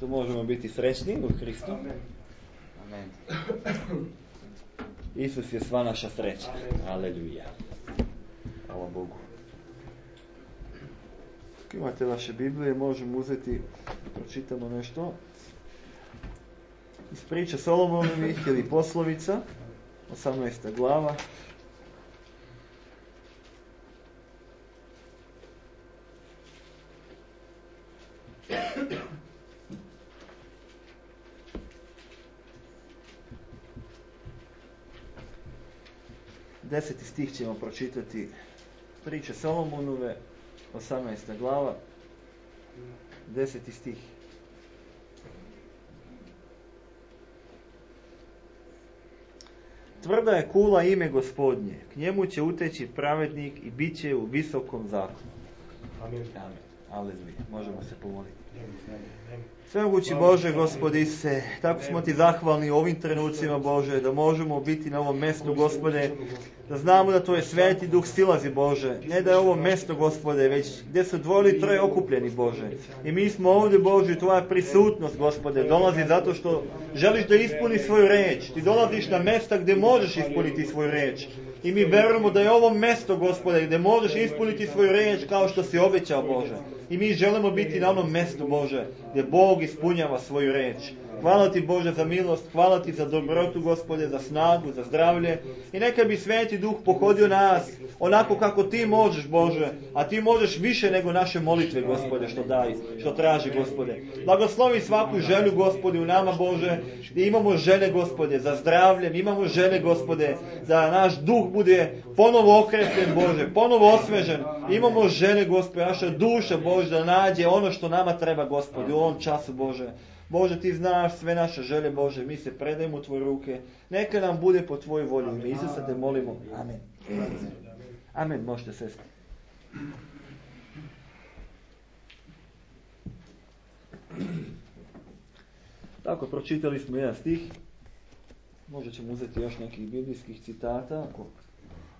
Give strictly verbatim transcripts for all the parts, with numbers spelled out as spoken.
što možemo biti srećni u Hristu. Amen. Isus je sva naša sreća. Aleluja. Hvala Bogu. Ako imate vaše Biblije, možemo uzeti, pročitamo nešto iz priče Solomonovih ili poslovica, osamnaesta glava. Deseti stih ćemo pročitati, priče Solomonove, osamnaesta glava, deseti stih. Tvrda je kula ime Gospodnje, k njemu će uteći pravednik i bit će u visokom zakonu. Amen. Amen. Aleluja. Možemo se pomoliti. Svemogući Bože, Gospodi se, tako smo ti zahvalni u ovim trenucima, Bože, da možemo biti na ovom mjestu, Gospode, da znamo da Tvoj Sveti Duh silazi, Bože, ne da je ovo mjesto, Gospode, već gdje su dvoje troje okupljeni, Bože. I mi smo ovdje, Bože, Tvoja prisutnost, Gospode, dolazi zato što želiš da ispuni svoju riječ. Ti dolaziš na mjesta gdje možeš ispuniti svoju riječ. I mi verujemo da je ovo mjesto, Gospode, gdje možeš ispuniti svoju riječ kao što si obećao, Bože. I mi želimo biti na onom mjestu, Bože, gdje Bog ispunjava svoju riječ. Hvala ti, Bože, za milost, hvala ti za dobrotu, Gospode, za snagu, za zdravlje. I neka bi Sveti Duh pohodio nas onako kako ti možeš, Bože, a ti možeš više nego naše molitve, Gospode, što daj, što traži, Gospode. Blagoslovi svaku želju, Gospode, u nama, Bože, gdje imamo želje, Gospode, za zdravljem, imamo želje, Gospode, da naš duh bude ponovo okrepljen, Bože, ponovo osvežen. Imamo želje, Gospode, naša duša, Bože, da nađe ono što nama treba, Gospode, u ovom času, Bože. Bože, ti znaš sve naše želje, Bože, mi se predajemo u Tvoje ruke. Neka nam bude po Tvojoj volji. U ime Isusa te molimo. Amen. Amen. Možete sesti. Tako, pročitali smo jedan stih. Možda ćemo uzeti još nekih biblijskih citata, ako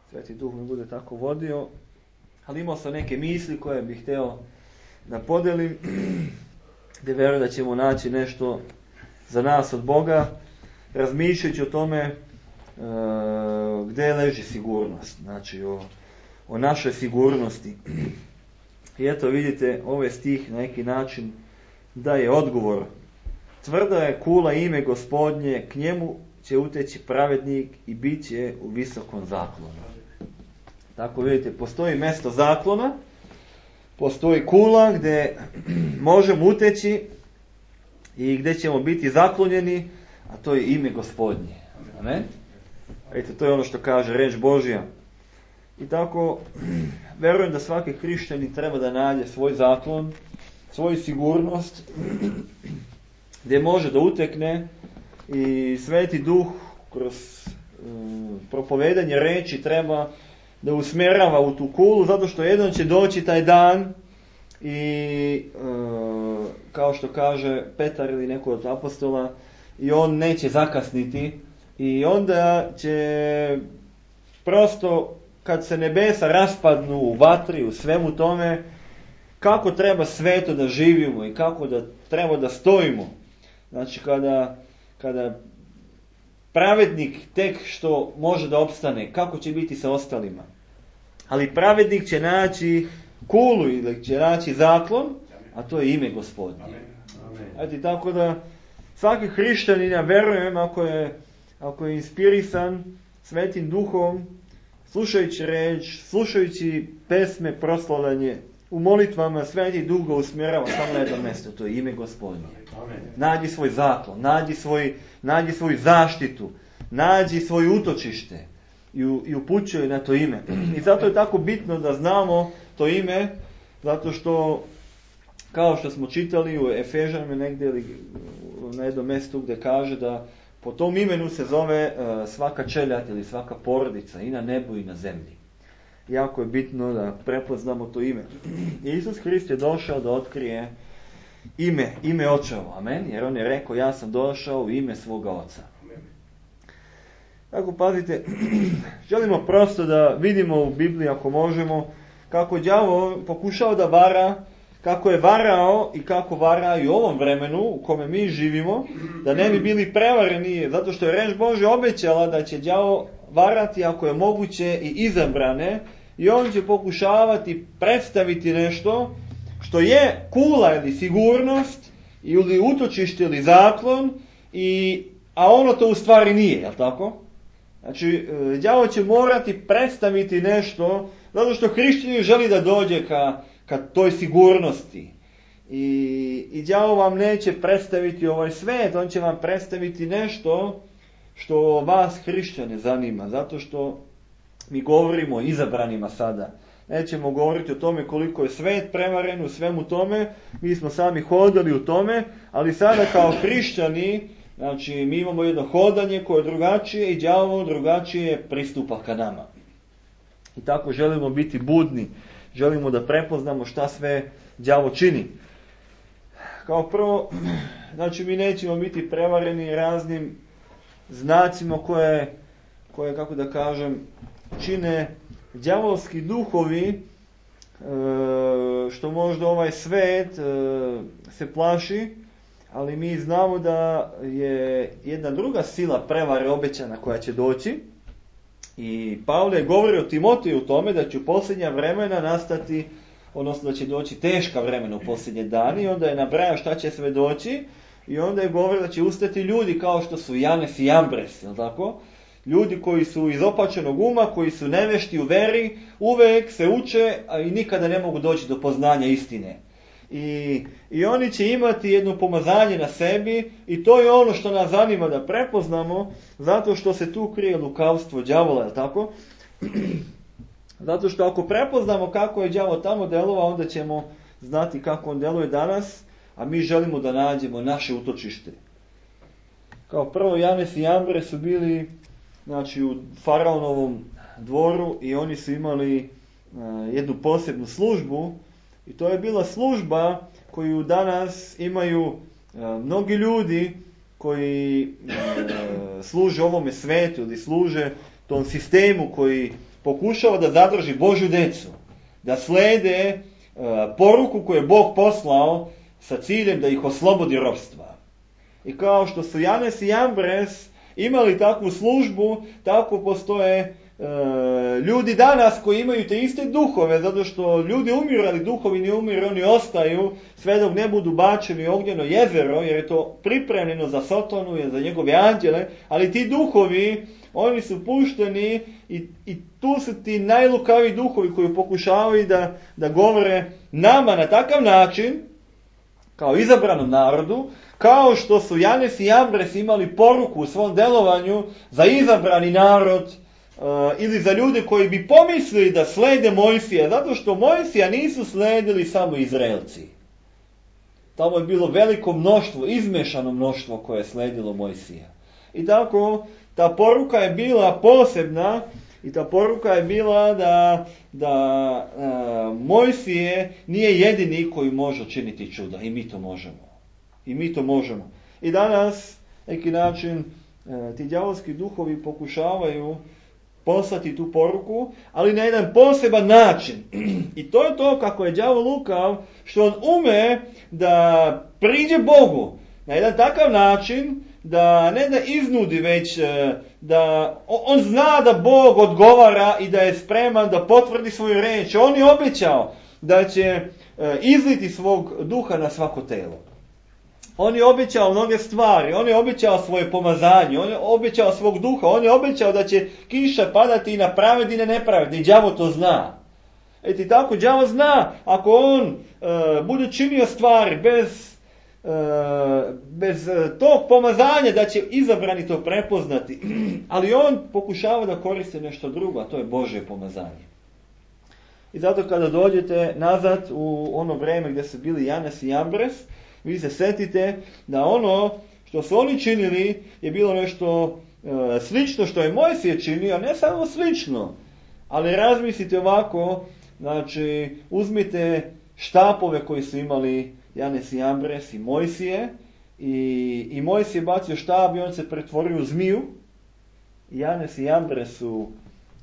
Sveti Duh me bude tako vodio. Ali imao sam neke misli koje bih htio da podelim, gdje vjerujem da ćemo naći nešto za nas od Boga, razmišljajući o tome e, gdje leži sigurnost, znači o, o našoj sigurnosti. I eto vidite, ovaj stih na neki način daje odgovor. Tvrda je kula ime Gospodnje, k njemu će uteći pravednik i bit će u visokom zaklonu. Tako vidite, postoji mjesto zaklona, postoji kula gdje možemo uteći i gdje ćemo biti zaklonjeni, a to je ime Gospodnje. Amen? Vidite, to je ono što kaže riječ Božja. I tako, vjerujem da svaki hrišćanin treba da nađe svoj zaklon, svoju sigurnost, gdje može da utekne i Sveti Duh kroz um, propovedanje riječi treba da usmjerava u tu kulu, zato što jednom će doći taj dan i uh, kao što kaže Petar ili neko od apostola, i on neće zakasniti i onda će prosto kad se nebesa raspadnu u vatri, u svemu tome, kako treba sveto da živimo i kako da treba da stojimo. Znači kada, kada pravednik tek što može da opstane, kako će biti sa ostalima. Ali pravednik će naći kulu ili će naći zaklon, a to je ime Gospodnje. Ajde, tako da svaki hrišćanin, ja verujem, ako je, ako je inspirisan Svetim Duhom, slušajući reč, slušajući pesme, proslavljanje, u molitvama Sveti Duh ga usmjerava samo na jedno mjesto, to je ime Gospodnje. Nađi svoj zaklon, nađi, svoj, nađi svoju zaštitu, nađi svoje utočište i, i upućuje na to ime. I zato je tako bitno da znamo to ime, zato što, kao što smo čitali u Efežanima negdje ili na jednom mjestu gdje kaže da po tom imenu se zove uh, svaka čeljad ili svaka porodica i na nebu i na zemlji. Jako je bitno da prepoznamo to ime. Isus Hrist je došao da otkrije ime, ime Očevo, amen, jer on je rekao ja sam došao u ime svoga Oca. Tako pazite, želimo prosto da vidimo u Bibliji ako možemo kako đavo pokušao da vara, kako je varao i kako vara i u ovom vremenu u kome mi živimo, da ne bi bili prevareni, zato što je reč Božja obećala da će đavo varati ako je moguće i izabrane, i on će pokušavati predstaviti nešto što je kula ili sigurnost ili utočište ili zaklon, i, a ono to u stvari nije, jel tako? Znači, đavo će morati predstaviti nešto, zato što hrišćanin želi da dođe ka, ka toj sigurnosti. I, i đavo vam neće predstaviti ovaj svet, on će vam predstaviti nešto što vas hrišćane zanima, zato što mi govorimo o izabranima sada. Nećemo govoriti o tome koliko je svet prevaren u svemu tome, mi smo sami hodali u tome, ali sada kao hrišćani, znači mi imamo jedno hodanje koje je drugačije i đavo drugačije pristupa ka nama. I tako želimo biti budni, želimo da prepoznamo šta sve đavo čini. Kao prvo, znači mi nećemo biti prevareni raznim znacima koje, koje kako da kažem, čine đavolski duhovi, što možda ovaj svet se plaši, ali mi znamo da je jedna druga sila prevare obećana koja će doći. I Pavle govori o Timoteju u tome da će u posljednja vremena nastati, odnosno da će doći teška vremena u posljednje dane, i onda je nabrajao šta će sve doći, i onda je govorio da će ustati ljudi kao što su Janes i Jambres, jel tako? Ljudi koji su iz opačenog uma, koji su nevešti u veri, uvek se uče, a i nikada ne mogu doći do poznanja istine. I, I oni će imati jedno pomazanje na sebi, i to je ono što nas zanima da prepoznamo, zato što se tu krije lukavstvo đavola, je tako? Zato što ako prepoznamo kako je đavo tamo delovao, onda ćemo znati kako on deluje danas, a mi želimo da nađemo naše utočište. Kao prvo, Janes i Jambres su bili, znači, u faraonovom dvoru, i oni su imali uh, jednu posebnu službu. I to je bila služba koju danas imaju uh, mnogi ljudi koji uh, služe ovome svetu ili služe tom sistemu koji pokušava da zadrži Božju decu, da slede uh, poruku koju je Bog poslao sa ciljem da ih oslobodi ropstva. I kao što su Janes i Jambres imali takvu službu, tako postoje ljudi danas koji imaju te iste duhove, zato što ljudi umiru, ali duhovi ne umiru, oni ostaju sve dok ne budu bačeni u ognjeno jezero, jer je to pripremljeno za Sotonu i za njegove anđele, ali ti duhovi, oni su pušteni, i, i tu su ti najlukaviji duhovi koji pokušavaju da, da govore nama na takav način, kao izabranom narodu, kao što su Janes i Jambres imali poruku u svom delovanju za izabrani narod, Uh, ili za ljude koji bi pomislili da slede Mojsija, zato što Mojsija nisu sledili samo Izraelci. Tamo je bilo veliko mnoštvo, izmešano mnoštvo koje je sledilo Mojsija. I tako, ta poruka je bila posebna, i ta poruka je bila da, da uh, Mojsije nije jedini koji može činiti čuda, i mi to možemo. I mi to možemo. I danas, neki način, uh, ti đavolski duhovi pokušavaju poslati tu poruku, ali na jedan poseban način. I to je to kako je đavo lukav, što on ume da priđe Bogu na jedan takav način, da ne da iznudi, već da on zna da Bog odgovara i da je spreman da potvrdi svoju reč. On je obećao da će izliti svog duha na svako telo. On je obećao mnoge stvari, on je obećao svoje pomazanje, on je obećao svog duha, on je obećao da će kiša padati i na pravedne i na nepravedne, i đavo to zna. Eti tako, đavo zna, ako on e, bude činio stvari bez, e, bez tog pomazanja, da će izabrani to prepoznati, ali on pokušava da koristi nešto drugo, a to je Božje pomazanje. I zato kada dođete nazad u ono vreme gdje su bili Janes i Jambres, vi se setite da ono što su oni činili je bilo nešto e, slično što je Mojsije činio, a ne samo slično. Ali razmislite ovako, znači uzmite štapove koji su imali Janes i Jambres i Mojsije, i, i Mojsije bacio štab i on se pretvorio u zmiju. I Janes i Jambres su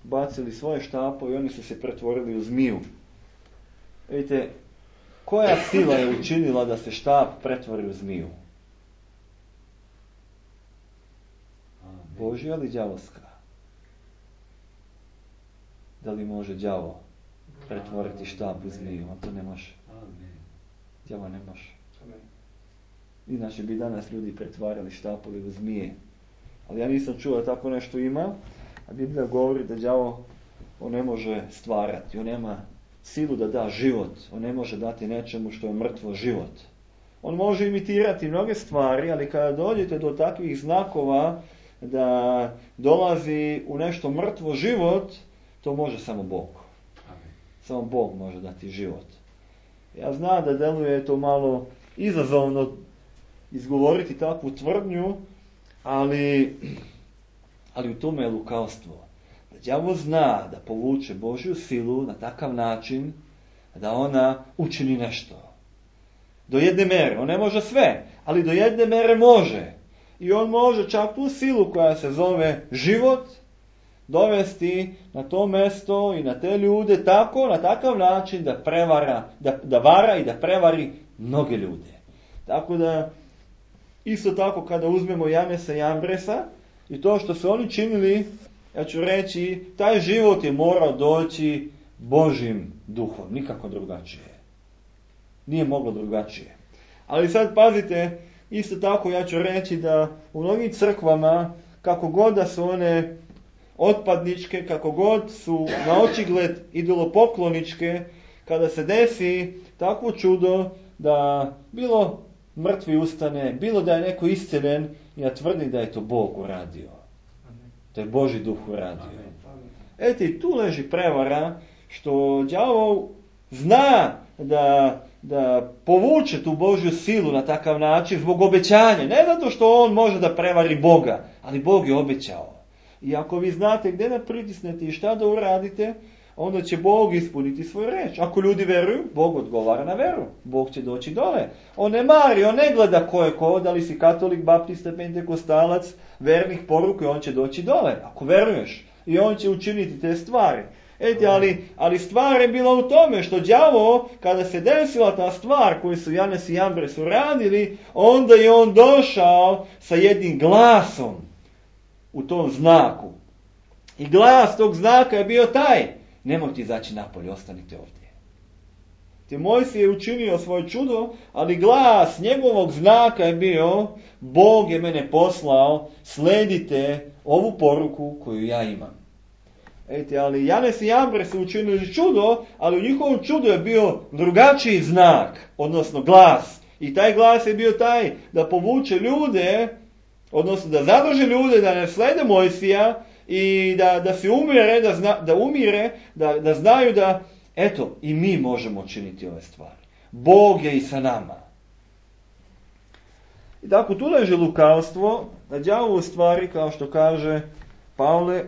bacili svoje štapove i oni su se pretvorili u zmiju. Vidite, koja sila je učinila da se štap pretvori u zmiju? Božja ili đavolska? Da li može đavo pretvoriti štap u zmiju? On to ne može. Đavo ne može. Inače bi danas ljudi pretvarali štapove u zmije. Ali ja nisam čuo da tako nešto ima. A Biblija govori da đavo on ne može stvarati. On nema silu da da život. On ne može dati nečemu što je mrtvo život. On može imitirati mnoge stvari, ali kada dođete do takvih znakova da dolazi u nešto mrtvo život, to može samo Bog. Samo Bog može dati život. Ja znam da deluje to malo izazovno izgovoriti takvu tvrdnju, ali, ali u tome je lukavstvo. Da đavo zna da povuče Božju silu na takav način da ona učini nešto. Do jedne mere. On ne može sve, ali do jedne mere može. I on može čak tu silu koja se zove život dovesti na to mjesto i na te ljude tako, na takav način da prevara, da, da vara i da prevari mnoge ljude. Tako da, isto tako kada uzmemo Janesa i Ambresa i to što su oni činili, ja ću reći, taj život je morao doći Božjim duhom, nikako drugačije. Nije moglo drugačije. Ali sad pazite, isto tako ja ću reći da u mnogim crkvama, kako god da su one otpadničke, kako god su na očigled idolopokloničke, kada se desi takvo čudo da bilo mrtvi ustane, bilo da je neko isceljen, ja tvrdim da je to Bog uradio. Da je Božji duh uradio. Eti, tu leži prevara što đavo zna da, da povuče tu Božju silu na takav način zbog obećanja. Ne zato što on može da prevari Boga, ali Bog je obećao. I ako vi znate gdje da pritisnete i šta da uradite, onda će Bog ispuniti svoju reč. Ako ljudi veruju, Bog odgovara na veru. Bog će doći dole. On ne mari, on ne gleda ko je ko, da li si katolik, baptista, pentekostalac, vernih poruka, on će doći dole. Ako veruješ. I on će učiniti te stvari. Eti, ali, ali stvar je bila u tome što đavo, kada se desila ta stvar koju su Janes i Ambres uradili, onda je on došao sa jednim glasom u tom znaku. I glas tog znaka je bio taj: nemojte izaći napolje, ostanite ovdje. Te Mojsije je učinio svoje čudo, ali glas njegovog znaka je bio: Bog je mene poslao, sledite ovu poruku koju ja imam. Ejte, ali Janes i Ambres su učinili čudo, ali u njihovom čudu je bio drugačiji znak, odnosno glas. I taj glas je bio taj da povuče ljude, odnosno da zadrži ljude da ne slede Mojsija i da, da se umire, da, zna, da umire, da, da znaju da, eto, i mi možemo činiti ove stvari. Bog je i sa nama. I tako tu leži lukavstvo, da đavo u stvari, kao što kaže Pavle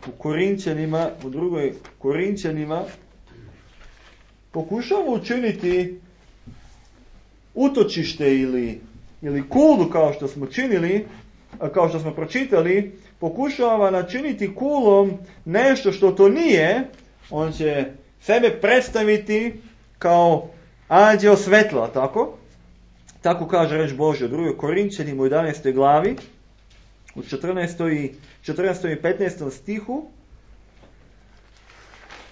u Korinćanima, u drugoj Korinćanima, pokušava učiniti utočište ili, ili kulu, kao što smo činili, kao što smo pročitali, pokušava načiniti kulom nešto što to nije. On će sebe predstaviti kao anđeo svetla, tako? Tako kaže reč Božja u drugoj Korinćanima u jedanaestoj glavi, u četrnaestom i petnaestom stihu.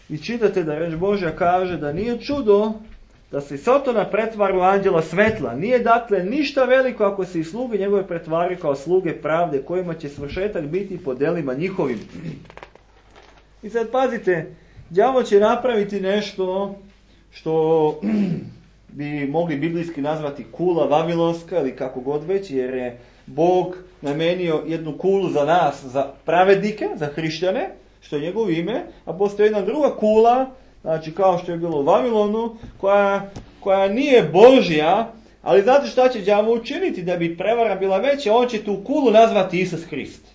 I čitate da reč Božja kaže da nije čudo da se Sotona pretvara u anđela svetla. Nije dakle ništa veliko ako se i sluge njegove pretvari kao sluge pravde, kojima će svršetak biti po delima njihovim. I sad pazite, đavo će napraviti nešto što bi mogli biblijski nazvati kula vavilonska ili kako god već, jer je Bog namenio jednu kulu za nas, za pravednike, za hrišćane, što je njegovo ime, a postoji jedna druga kula, znači kao što je bilo u Vavilonu, koja, koja nije Božja, ali znate šta će đavo učiniti da bi prevara bila veća? On će tu kulu nazvati Isus Hrist.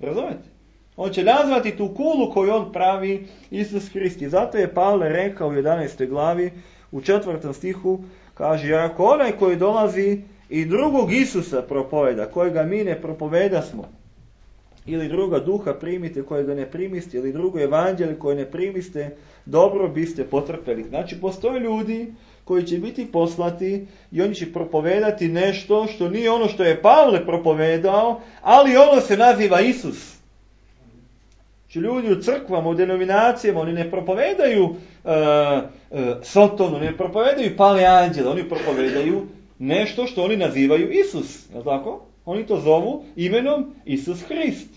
Razumete? On će nazvati tu kulu koju on pravi Isus Hrist. I zato je Pavle rekao u jedanaestoj glavi, u četvrtom stihu, kaže: jer ako onaj koji dolazi i drugog Isusa propoveda, kojega mi ne propovedasmo, ili druga duha primite kojega ne primiste, ili drugo evanđelje koje ne primiste, dobro biste potrpeli. Znači, postoje ljudi koji će biti poslati i oni će propovedati nešto što nije ono što je Pavle propovedao, ali ono se naziva Isus. Znači, ljudi u crkvama, u denominacijama, oni ne propovedaju uh, uh, Sotonu, ne propovedaju Pale anđele, oni propovedaju nešto što oni nazivaju Isus. Je li tako? Oni to zovu imenom Isus Hrist.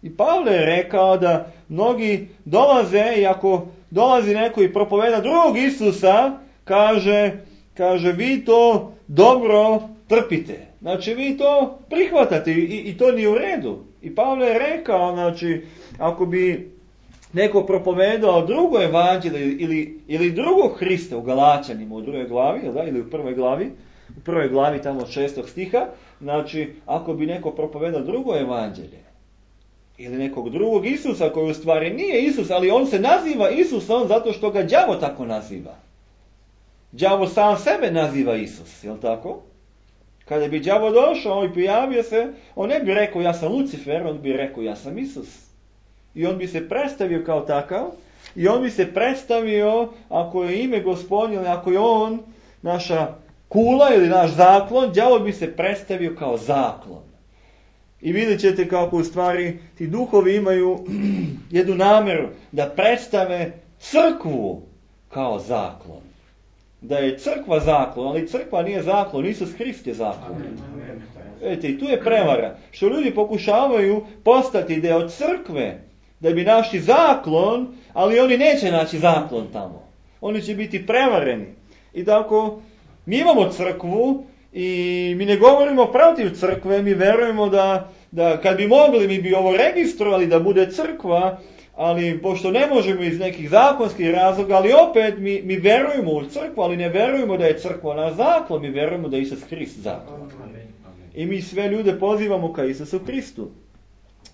I Pavle je rekao da mnogi dolaze i ako dolazi neko i propoveda drugog Isusa, kaže, kaže vi to dobro trpite. Znači vi to prihvatate i, i to nije u redu. I Pavle je rekao, znači, ako bi neko propovedao drugo evanđelje ili, ili drugog Hrista u Galačanima u drugoj glavi, da, ili u prvoj glavi, u prvoj glavi tamo od šestog stiha, znači ako bi neko propovedao drugo evanđelje ili nekog drugog Isusa koji u stvari nije Isus, ali on se naziva Isusom zato što ga đavo tako naziva. Đavo sam sebe naziva Isus, je li tako? Kada bi đavo došao i pojavio se, on ne bi rekao ja sam Lucifer, on bi rekao ja sam Isus. I on bi se predstavio kao takav, i on bi se predstavio, ako je ime Gospodnje, ili ako je on naša kula ili naš zaklon, đavo bi se predstavio kao zaklon. I vidjet ćete kako u stvari ti duhovi imaju jednu namjeru da predstave crkvu kao zaklon. Da je crkva zaklon, ali crkva nije zaklon, Isus Hrist je zaklon. Vidite, i tu je prevara. Što ljudi pokušavaju postati deo crkve, da bi našli zaklon, ali oni neće naći zaklon tamo. Oni će biti prevareni. I tako, mi imamo crkvu i mi ne govorimo protiv crkve, mi verujemo da, da kad bi mogli, mi bi ovo registrovali da bude crkva, ali pošto ne možemo iz nekih zakonskih razloga, ali opet mi, mi verujemo u crkvu, ali ne verujemo da je crkva naš zaklon, mi verujemo da je Isus Hrist zaklon. I mi sve ljude pozivamo ka Isusu Hristu.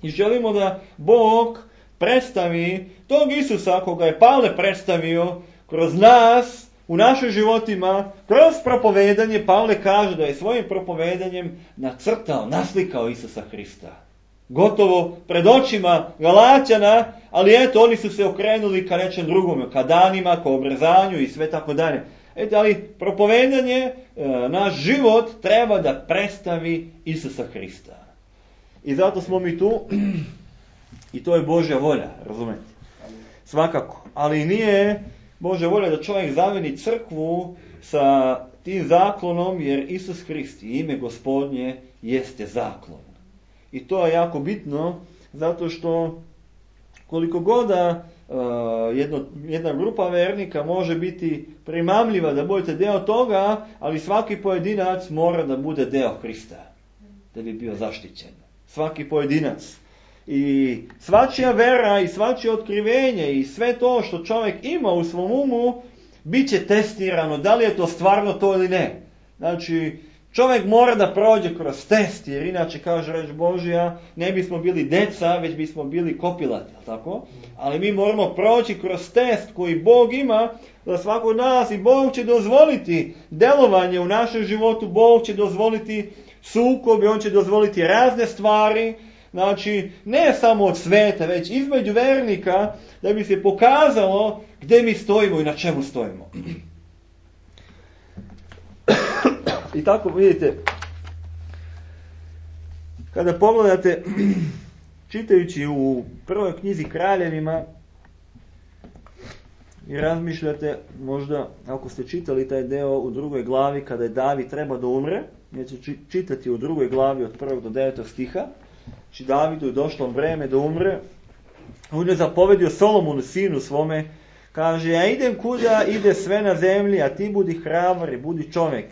I želimo da Bog predstavi tog Isusa koga je Pavle predstavio kroz nas, u našim životima, kroz propovedanje. Pavle kaže da je svojim propovedanjem nacrtao, naslikao Isusa Hrista. Gotovo pred očima Galaćana, ali eto, oni su se okrenuli ka nečem drugome, ka danima, ka obrezanju i sve tako dalje. Eto, ali propovedanje, naš život treba da predstavi Isusa Hrista. I zato smo mi tu, i to je Božja volja, razumete? Svakako. Ali nije Božja volja da čovjek zameni crkvu sa tim zaklonom, jer Isus Hrist i ime Gospodnje jeste zaklon. I to je jako bitno, zato što koliko god da uh, jedno, jedna grupa vernika može biti primamljiva da budete deo toga, ali svaki pojedinac mora da bude deo Hrista, da bi bio zaštićen. Svaki pojedinac. I svačija vera i svačije otkrivenje i sve to što čovjek ima u svom umu, bit će testirano, da li je to stvarno to ili ne. Znači, čovjek mora da prođe kroz test, jer inače, kaže reč Božja, ne bismo bili deca, već bismo bili kopilati, tako? Ali mi moramo proći kroz test koji Bog ima za svako od nas i Bog će dozvoliti delovanje u našem životu, Bog će dozvoliti sukobe, on će dozvoliti razne stvari, znači ne samo od sveta, već između vernika, da bi se pokazalo gdje mi stojimo i na čemu stojimo. I tako vidite, kada pogledate, čitajući u prvoj knjizi Kraljevima i razmišljate, možda ako ste čitali taj deo u drugoj glavi kada je David treba da umre, neće čitati u drugoj glavi od prvog do devetog stiha, znači Davidu je došlo vreme da umre, on je zapovedio Solomonu sinu svome, kaže, ja idem kuda ide sve na zemlji, a ti budi hrabar i budi čovjek.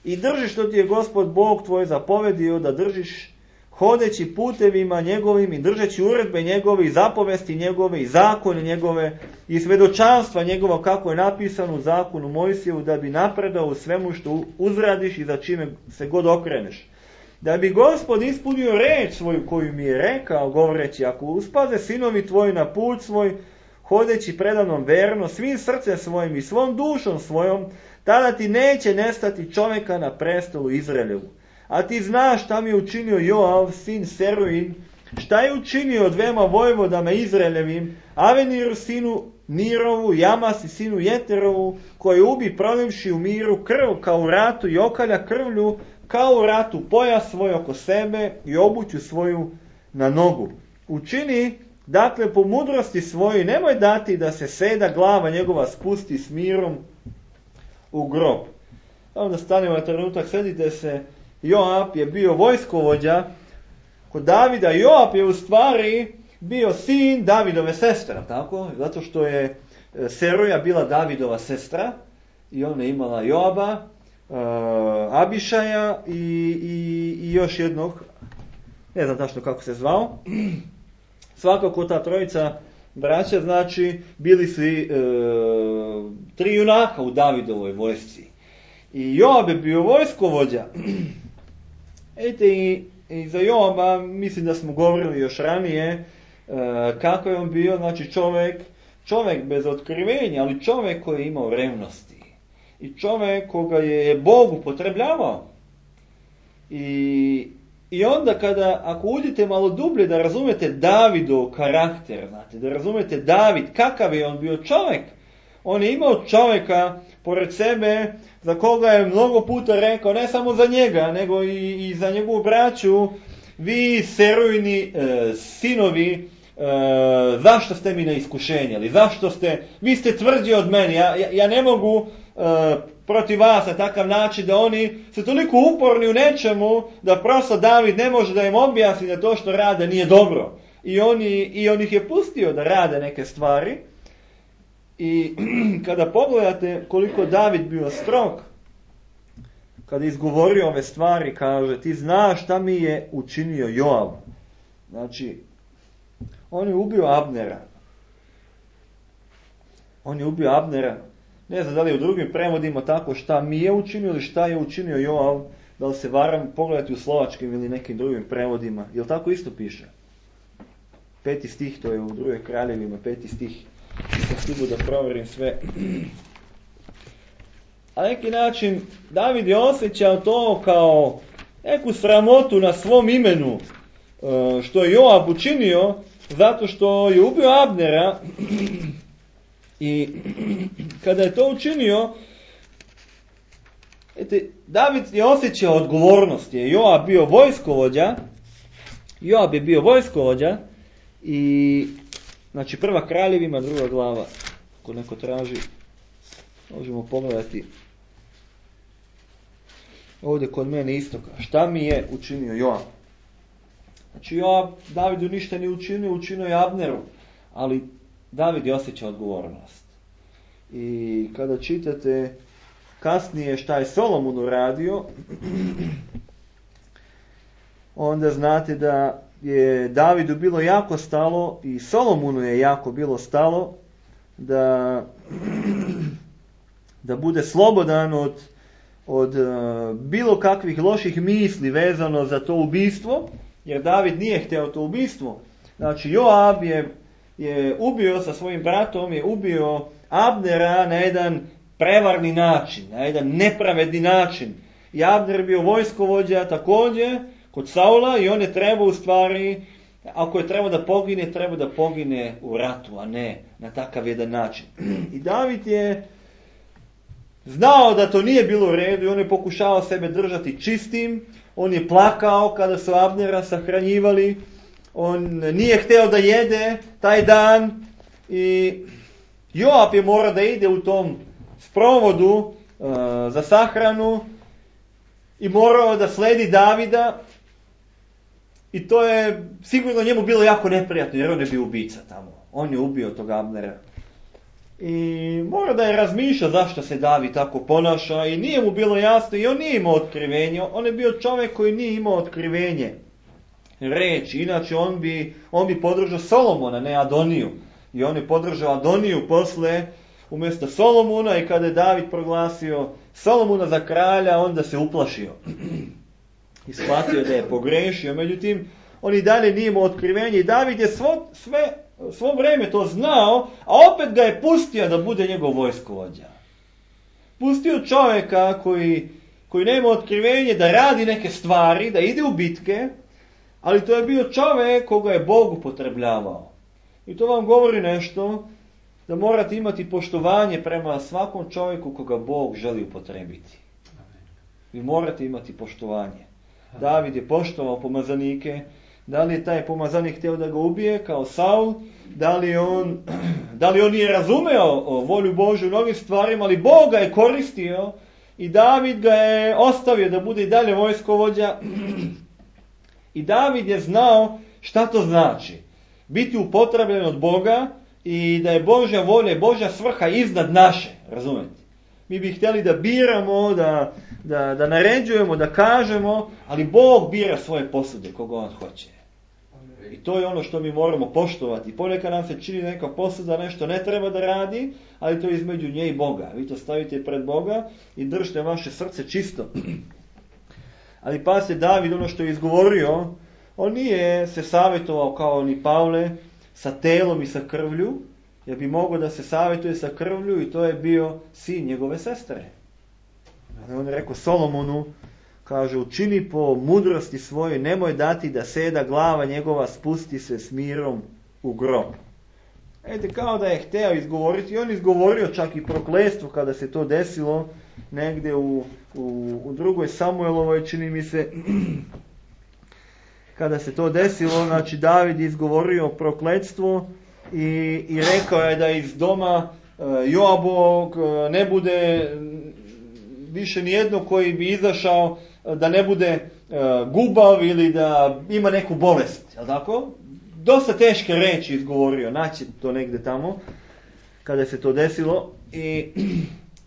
I drži što ti je Gospod Bog tvoj zapovedio da držiš hodeći putevima njegovim i držeći uredbe njegove i zapovesti njegove i zakone njegove i svedočanstva njegova kako je napisano u zakonu Mojsijevu, da bi napredao u svemu što uzradiš i za čime se god okreneš. Da bi Gospod ispunio reč svoju koju mi je rekao, govoreći, ako uspaze sinovi tvoji na put svoj, hodeći predavnom verno, svim srcem svojim i svom dušom svojom, tada ti neće nestati čovjeka na prestolu Izraeljevu. A ti znaš šta mi je učinio Joav, sin Seruin, šta je učinio dvema vojvodama Izraeljevim, Aveniru sinu Nirovu, Jamasi sinu Jeterovu, koji ubi prolivši u miru krv kao u ratu i okalja krvlju kao u ratu pojas svoj oko sebe i obuću svoju na nogu. Učini, dakle, po mudrosti svojoj, nemoj dati da se seda glava njegova spusti s mirom u grob. Onda stanemo na trenutak, sjedite se, Joab je bio vojskovođa kod Davida. Joab je u stvari bio sin Davidove sestre, tako? Zato što je Seruja bila Davidova sestra i ona je imala Joaba, uh, Abišaja i, i, i još jednog, ne znam tačno kako se zvao. Svakako ta trojica braća, znači, bili su i, uh, tri junaka u Davidovoj vojsci. I Joab je bio vojskovođa. Ejte, i, i za Joaba mislim da smo govorili još ranije kako je on bio, znači čovjek, čovjek bez otkrivenja, ali čovjek koji je imao revnosti. I čovjek koga je Bog upotrebljavao. I, i onda kada, ako uđete malo dublje da razumete Davidov karakter, znate, da razumete David, kakav je on bio čovjek. On je imao čovjeka pored sebe za koga je mnogo puta rekao, ne samo za njega, nego i, i za njegovu braću, vi Serujini e, sinovi, E, zašto ste mi na iskušenje, ili zašto ste, vi ste tvrđi od mene, ja, ja, ja ne mogu e, protiv vas na takav način da oni su toliko uporni u nečemu da prosto David ne može da im objasni da to što rade nije dobro. I, oni, i on ih je pustio da rade neke stvari. I kada pogledate koliko David bio strog, kada izgovorio ove stvari, kaže, ti znaš šta mi je učinio Joab. Znači, on je ubio Abnera. On je ubio Abnera. Ne znam da li je u drugim prevodima tako šta mi je učinio ili šta je učinio Joab. Da li se varam, pogledati u slovačkim ili nekim drugim prevodima. Jel tako isto piše? Peti stih, to je u drugoj kraljevima, peti stih. Nisam stigu da provjerim sve. A neki način David je osjećao to kao neku sramotu na svom imenu. Što je Joab učinio, zato što je ubio Abnera. I kada je to učinio, ete, David je osjećao odgovornost. Je Joab bio vojskovođa. Joab je bio vojskovođa. I znači prva kraljevima, druga glava. Ako neko traži, možemo pogledati. Ovdje kod mene istoka. Šta mi je učinio Joab? Znači Joab Davidu ništa nije učinio, učinio je Abneru. Ali David je osjećao odgovornost. I kada čitate kasnije šta je Solomon uradio, onda znate da je Davidu bilo jako stalo i Solomonu je jako bilo stalo da, da bude slobodan od, od bilo kakvih loših misli vezano za to ubistvo, jer David nije htio to ubistvo. Znači Joab je, je ubio sa svojim bratom, je ubio Abnera na jedan prevarni način, na jedan nepravedni način. I Abner je bio vojskovođa također kod Saula i on je trebao u stvari, ako je trebao da pogine, treba da pogine u ratu, a ne na takav jedan način. I David je znao da to nije bilo u redu i on je pokušao sebe držati čistim. On je plakao kada su Abnera sahranjivali. On nije htio da jede taj dan. I Joab je morao da ide u tom sprovodu uh, za sahranu. I morao da sledi Davida. I to je sigurno njemu bilo jako neprijatno, jer on je bio ubica tamo. On je ubio tog Abnera. I mora da je razmišljao zašto se David tako ponaša i nije mu bilo jasno i on nije imao otkrivenje. On je bio čovjek koji nije imao otkrivenje reči. Inače on bi, on bi podržao Solomona, ne Adoniju. I on je podržao Adoniju posle umjesto Solomona i kada je David proglasio Solomona za kralja, onda se uplašio. I shvatio da je pogrešio. Međutim, on i dalje nije imao otkrivenje i David je svo, sve, svo vrijeme to znao, a opet ga je pustio da bude njegov vojskovođa. Pustio čovjeka koji, koji nema otkrivenje da radi neke stvari, da ide u bitke, Ali to je bio čovjek koga je Bog upotrebljavao. I to vam govori nešto, da morate imati poštovanje prema svakom čovjeku koga Bog želi upotrebiti. Vi morate imati poštovanje. David je poštovao pomazanike. Da li je taj pomazanik htio da ga ubije kao Saul? Da li on, da li on nije razumeo volju Božju u mnogim stvarima, ali Bog ga je koristio i David ga je ostavio da bude i dalje vojskovođa. I David je znao šta to znači. Biti upotrebljen od Boga i da je Božja volja i Božja svrha iznad naše. Razumete? Mi bi htjeli da biramo, da, da, da naređujemo, da kažemo, ali Bog bira svoje posude koga on hoće. I to je ono što mi moramo poštovati. Ponekad nam se čini neka posuda, nešto ne treba da radi, ali to je između nje i Boga. Vi to stavite pred Boga i držite vaše srce čisto. Ali pa se David, ono što je izgovorio, on nije se savjetovao kao ni Pavle sa telom i sa krvlju, jer bi mogao da se savjetuje sa krvlju i to je bio sin njegove sestre. On je rekao Solomonu, kaže, učini po mudrosti svojoj, nemoj dati da seda glava njegova, spusti se s mirom u grob. Ete, kao da je hteo izgovoriti, i on izgovorio čak i prokletstvo kada se to desilo, negdje u, u, u drugoj Samuelovoj, čini mi se, kada se to desilo, znači David izgovorio prokletstvo i, i rekao je da iz doma uh, Joabovog uh, ne bude više nijedno koji bi izašao, da ne bude uh, gubav ili da ima neku bolest, jel tako? Dosta teške reči izgovorio, naći to negdje tamo, kada se to desilo. I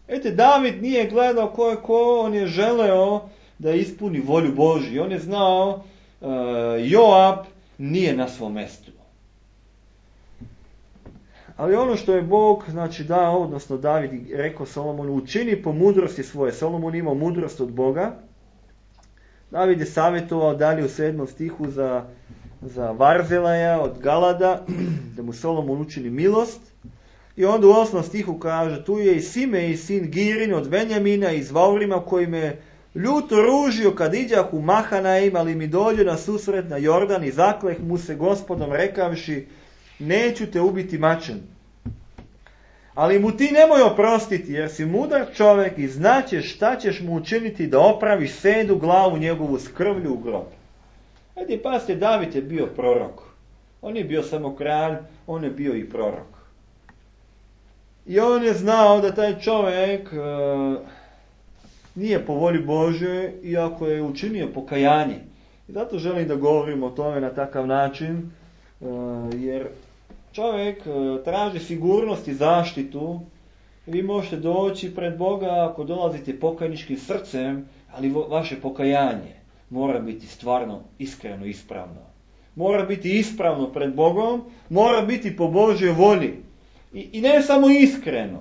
ete, David nije gledao ko je ko, on je želeo da ispuni volju Božju. On je znao, uh, Joab nije na svom mjestu. Ali ono što je Bog, znači dao, odnosno David rekao Solomonu, učini po mudrosti svoje. Solomon imao mudrost od Boga. David je savjetovao dalje u sedmom stihu za, za Varzelaja od Galada, da mu Solomon učini milost. I onda u osmom stihu kaže, tu je i Simej, sin Girin od Benjamina iz Vaurima, koji me ljuto ružio kad iđah u Mahanaim, ali mi dođe na susret na Jordan i zakleh mu se Gospodom rekavši, neću te ubiti mačem. Ali mu ti nemoj oprostiti, jer si mudar čovjek i znaćeš šta ćeš mu učiniti da opraviš sedu glavu njegovu s krvlju u grob. Ajde, pasite, David je bio prorok. On je bio samo kralj, on je bio i prorok. I on je znao da taj čovjek uh, nije po volji Božjoj, iako je učinio pokajanje. I zato želim da govorim o tome na takav način, uh, jer čovjek uh, traži sigurnost i zaštitu. Vi možete doći pred Boga ako dolazite pokajničkim srcem, ali vo, vaše pokajanje mora biti stvarno iskreno, ispravno. Mora biti ispravno pred Bogom, mora biti po Božjoj volji. I, I ne samo iskreno.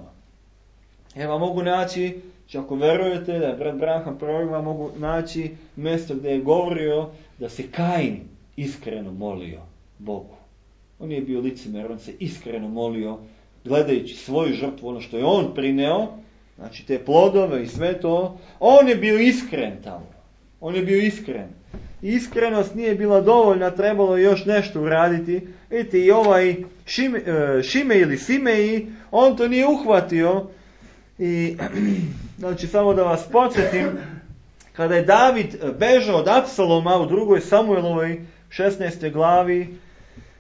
Evo mogu naći, ako verujete da je brat Branham prorok, mogu naći mjesto gdje je govorio da se Kain iskreno molio Bogu. On nije bio licemjer, on se iskreno molio, gledajući svoju žrtvu, ono što je on prineo, znači te plodove i sve to, on je bio iskren tamo. On je bio iskren. Iskrenost nije bila dovoljna, trebalo je još nešto uraditi. Vidite, i ovaj Šime, Šime ili Simeji, on to nije uhvatio. I, znači, samo da vas podsjetim, kada je David bežao od Apsaloma u drugoj Samuelovoj šesnaestoj glavi,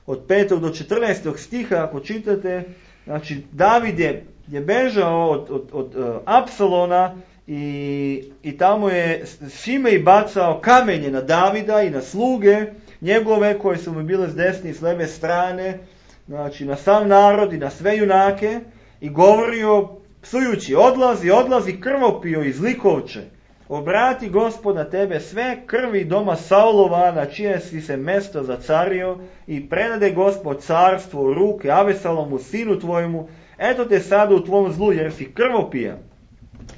od petog do četrnaestog stiha, ako čitate, znači, David je, je bežao od, od, od uh, Apsalona, I, i tamo je Šimej bacao kamenje na Davida i na sluge njegove koje su mu bile s desne i s leve strane, znači na sam narod i na sve junake, i govorio psujući, odlazi, odlazi krvopio i zlikovče, obrati Gospod na tebe sve krvi doma Saulova na čije si se mesto zacario i predade Gospod carstvo u ruke Avesalomu sinu tvojemu, eto te sada u tvom zlu jer si krvopija.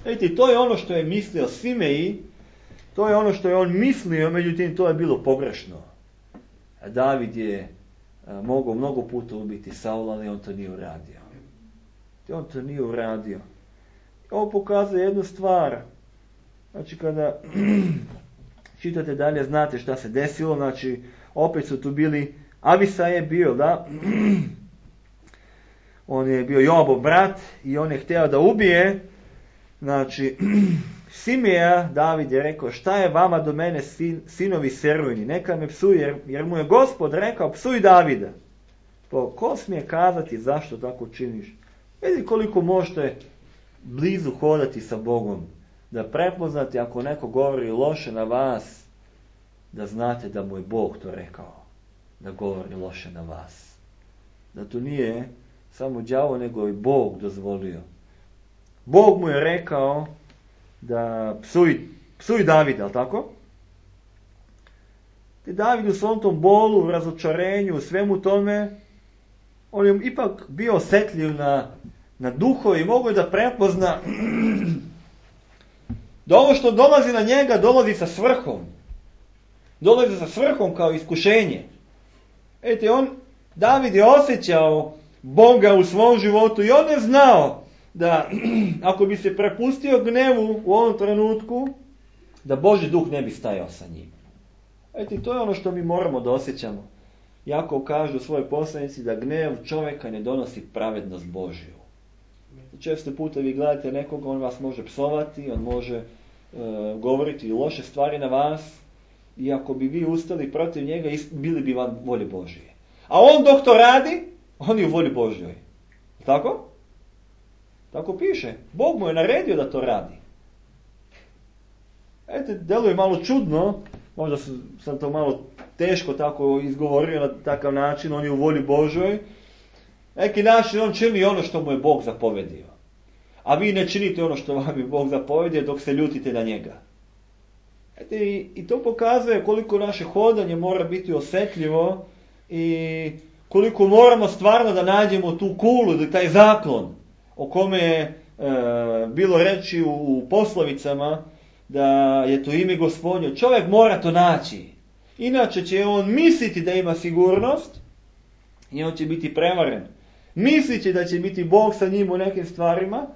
Vidite, to je ono što je mislio Simeji, to je ono što je on mislio, međutim to je bilo pogrešno. A David je a, mogao mnogo puta ubiti Saula, ali on to nije uradio. On to nije uradio. Ovo pokazuje jednu stvar. Znači kada čitate dalje, znate šta se desilo, znači opet su tu bili, Avisa je bio, da, on je bio Joabov brat i on je htio da ubije, znači, Simeja. David je rekao, šta je vama do mene, sin, sinovi Serujini, neka me psuje, jer, jer mu je Gospod rekao, psuj Davida. To, ko smije kazati zašto tako činiš? Vidi koliko možete blizu hodati sa Bogom, da prepoznate ako neko govori loše na vas, da znate da mu je Bog to rekao, da govori loše na vas. Da to nije samo đavo, nego i Bog dozvolio. Bog mu je rekao da psuj, psuj Davida, ali tako? I David u svom tom bolu, razočarenju, u svemu tome, on je ipak bio osjetljiv na, na duho i mogu da prepozna da ovo što dolazi na njega dolazi sa svrhom. Dolazi sa svrhom kao iskušenje. Ete, on, David je osjećao Boga u svom životu i on je znao da ako bi se prepustio gnevu u ovom trenutku, da Božji duh ne bi stajao sa njim. Ete, to je ono što mi moramo da osjećamo. Jakov kaže u svojoj poslanici da gnev čovjeka ne donosi pravednost Božju. Često puta vi gledate nekoga, on vas može psovati, on može e, govoriti loše stvari na vas, i ako bi vi ustali protiv njega, bili bi vam volje Božje. A on dok to radi, on je u volji Božjoj. Tako? Tako piše. Bog mu je naredio da to radi. Eto, deluje malo čudno, možda sam to malo teško tako izgovorio na takav način, on je u volji Božjoj. Neki način on čini ono što mu je Bog zapovedio. A vi ne činite ono što vam je Bog zapovedio dok se ljutite na njega. Eto, i, i to pokazuje koliko naše hodanje mora biti osjetljivo i koliko moramo stvarno da nađemo tu kulu, taj zaklon o kome je e, bilo reći u, u poslovicama, da je to ime Gospodnje. Čovjek mora to naći. Inače će on misliti da ima sigurnost i on će biti prevaren. Mislit će da će biti Bog sa njim u nekim stvarima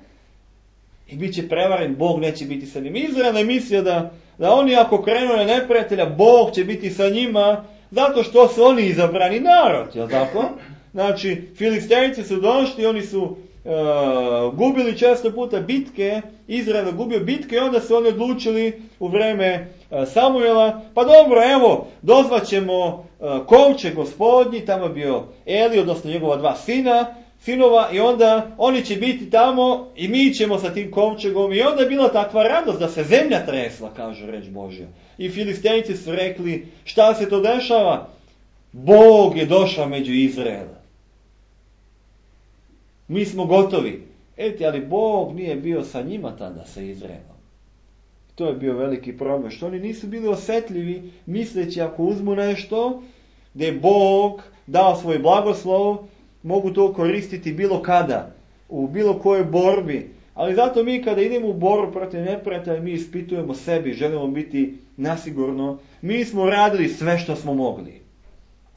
i bit će prevaren, Bog neće biti sa njim. Izrael je mislio da, da oni ako krenu na neprijatelja, Bog će biti sa njima, zato što su oni izabrani narod, jel tako? Znači, Filistejci su došli, oni su uh, gubili često puta bitke, Izrael je gubio bitke i onda su oni odlučili u vreme uh, Samuela, pa dobro, evo, dozvaćemo uh, kovčeg Gospodnji, tamo je bio Eli, odnosno njegova dva sina, sinova, i onda oni će biti tamo i mi ćemo sa tim kovčegom, i onda je bila takva radost da se zemlja tresla, kaže reč Božja. I Filistejci su rekli, šta se to dešava? Bog je došao među Izraela. Mi smo gotovi. Eti, ali Bog nije bio sa njima tada, sa Izraelom. To je bio veliki problem, što oni nisu bili osjetljivi, misleći ako uzmu nešto, gdje je Bog dao svoj blagoslov, mogu to koristiti bilo kada, u bilo kojoj borbi. Ali zato mi kada idemo u borbu protiv neprijatelja, mi ispitujemo sebi, želimo biti nasigurno. Mi smo radili sve što smo mogli.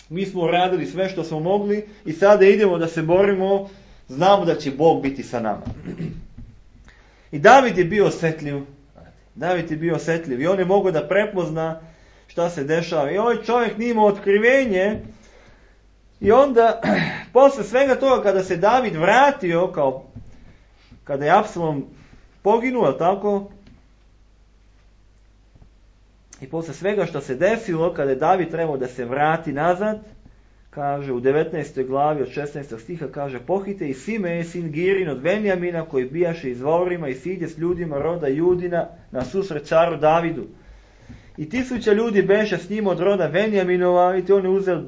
Mi smo radili sve što smo mogli i sada idemo da se borimo, znamo da će Bog biti sa nama. I David je bio osjetljiv. David je bio osjetljiv i on je mogao da prepozna šta se dešava. I ovaj čovjek nije imao otkrivenje. I onda, posle svega toga, kada se David vratio, kao kada je Apsalom poginuo, tako? I posle svega što se desilo, kada je David trebao da se vrati nazad, kaže u devetnaestoj glavi od šesnaestog stiha, kaže, pohite i Simej, sin Girin od Venjamina, koji bijaše izvorima i siđe s ljudima roda Judina na susret caru Davidu. I tisuća ljudi beše s njim od roda Venjaminova, i on je uzeo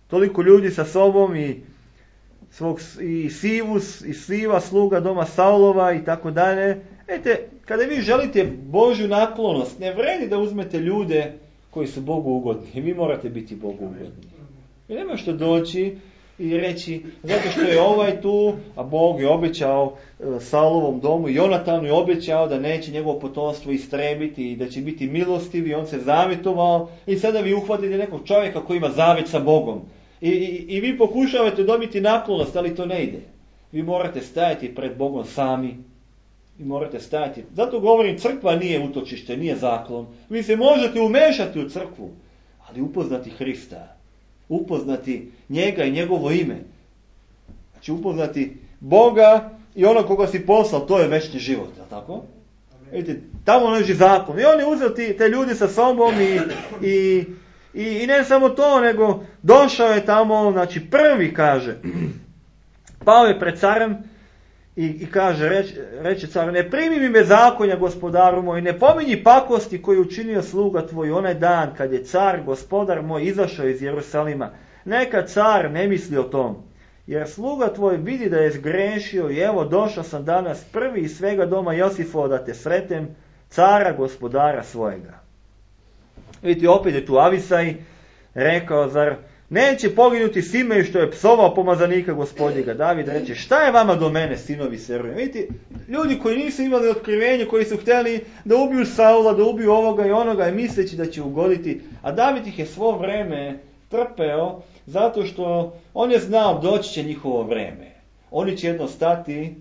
toliko ljudi sa sobom i svog i Sivus i Siva, sluga doma Saulova i tako dalje. Ete, kada vi želite Božju naklonost, ne vredi da uzmete ljude koji su Bogu ugodni. Vi morate biti Bogu ugodni. I nema što doći i reći, zato što je ovaj tu, a Bog je obećao e, Saulovom domu, Jonatanu je obećao da neće njegovo potomstvo istrebiti i da će biti milostiv, i on se zavjetovao, i sada vi uhvatite nekog čovjeka koji ima zavjet sa Bogom. I, i, i vi pokušavate dobiti naklonost, ali to ne ide. Vi morate stajati pred Bogom sami. Vi morate stajati. Zato govorim, crkva nije utočište, nije zaklon. Vi se možete umešati u crkvu, ali upoznati Hrista, upoznati njega i njegovo ime. Znači upoznati Boga i ono koga si poslao, to je večni život, je li tako? Vidite, tamo leži zakon. I on je uzeo ti, te ljudi sa sobom i, i, i, i ne samo to, nego došao je tamo, znači prvi kaže, pao je pred carem i, i kaže, reč, reče car, ne primi mi bezakonja, gospodaru moj, ne pominji pakosti koju učinio sluga tvoj onaj dan kad je car, gospodar moj, izašao iz Jerusalima. Neka car ne misli o tom. Jer sluga tvoj vidi da je zgrešio i evo došao sam danas prvi iz svega doma Josifova da te sretem, cara gospodara svojega. Vidite, opet je tu Avisaj rekao, zar neće poginuti Simej što je psovao pomazanika gospodnjega. David reče, šta je vama do mene, sinovi Seruja? Vidite, ljudi koji nisu imali otkrivenje, koji su htjeli da ubiju Saula, da ubiju ovoga i onoga i misleći da će ugoditi, a David ih je svo vreme trpeo, zato što on je znao doći će njihovo vreme. Oni će jedno stati e,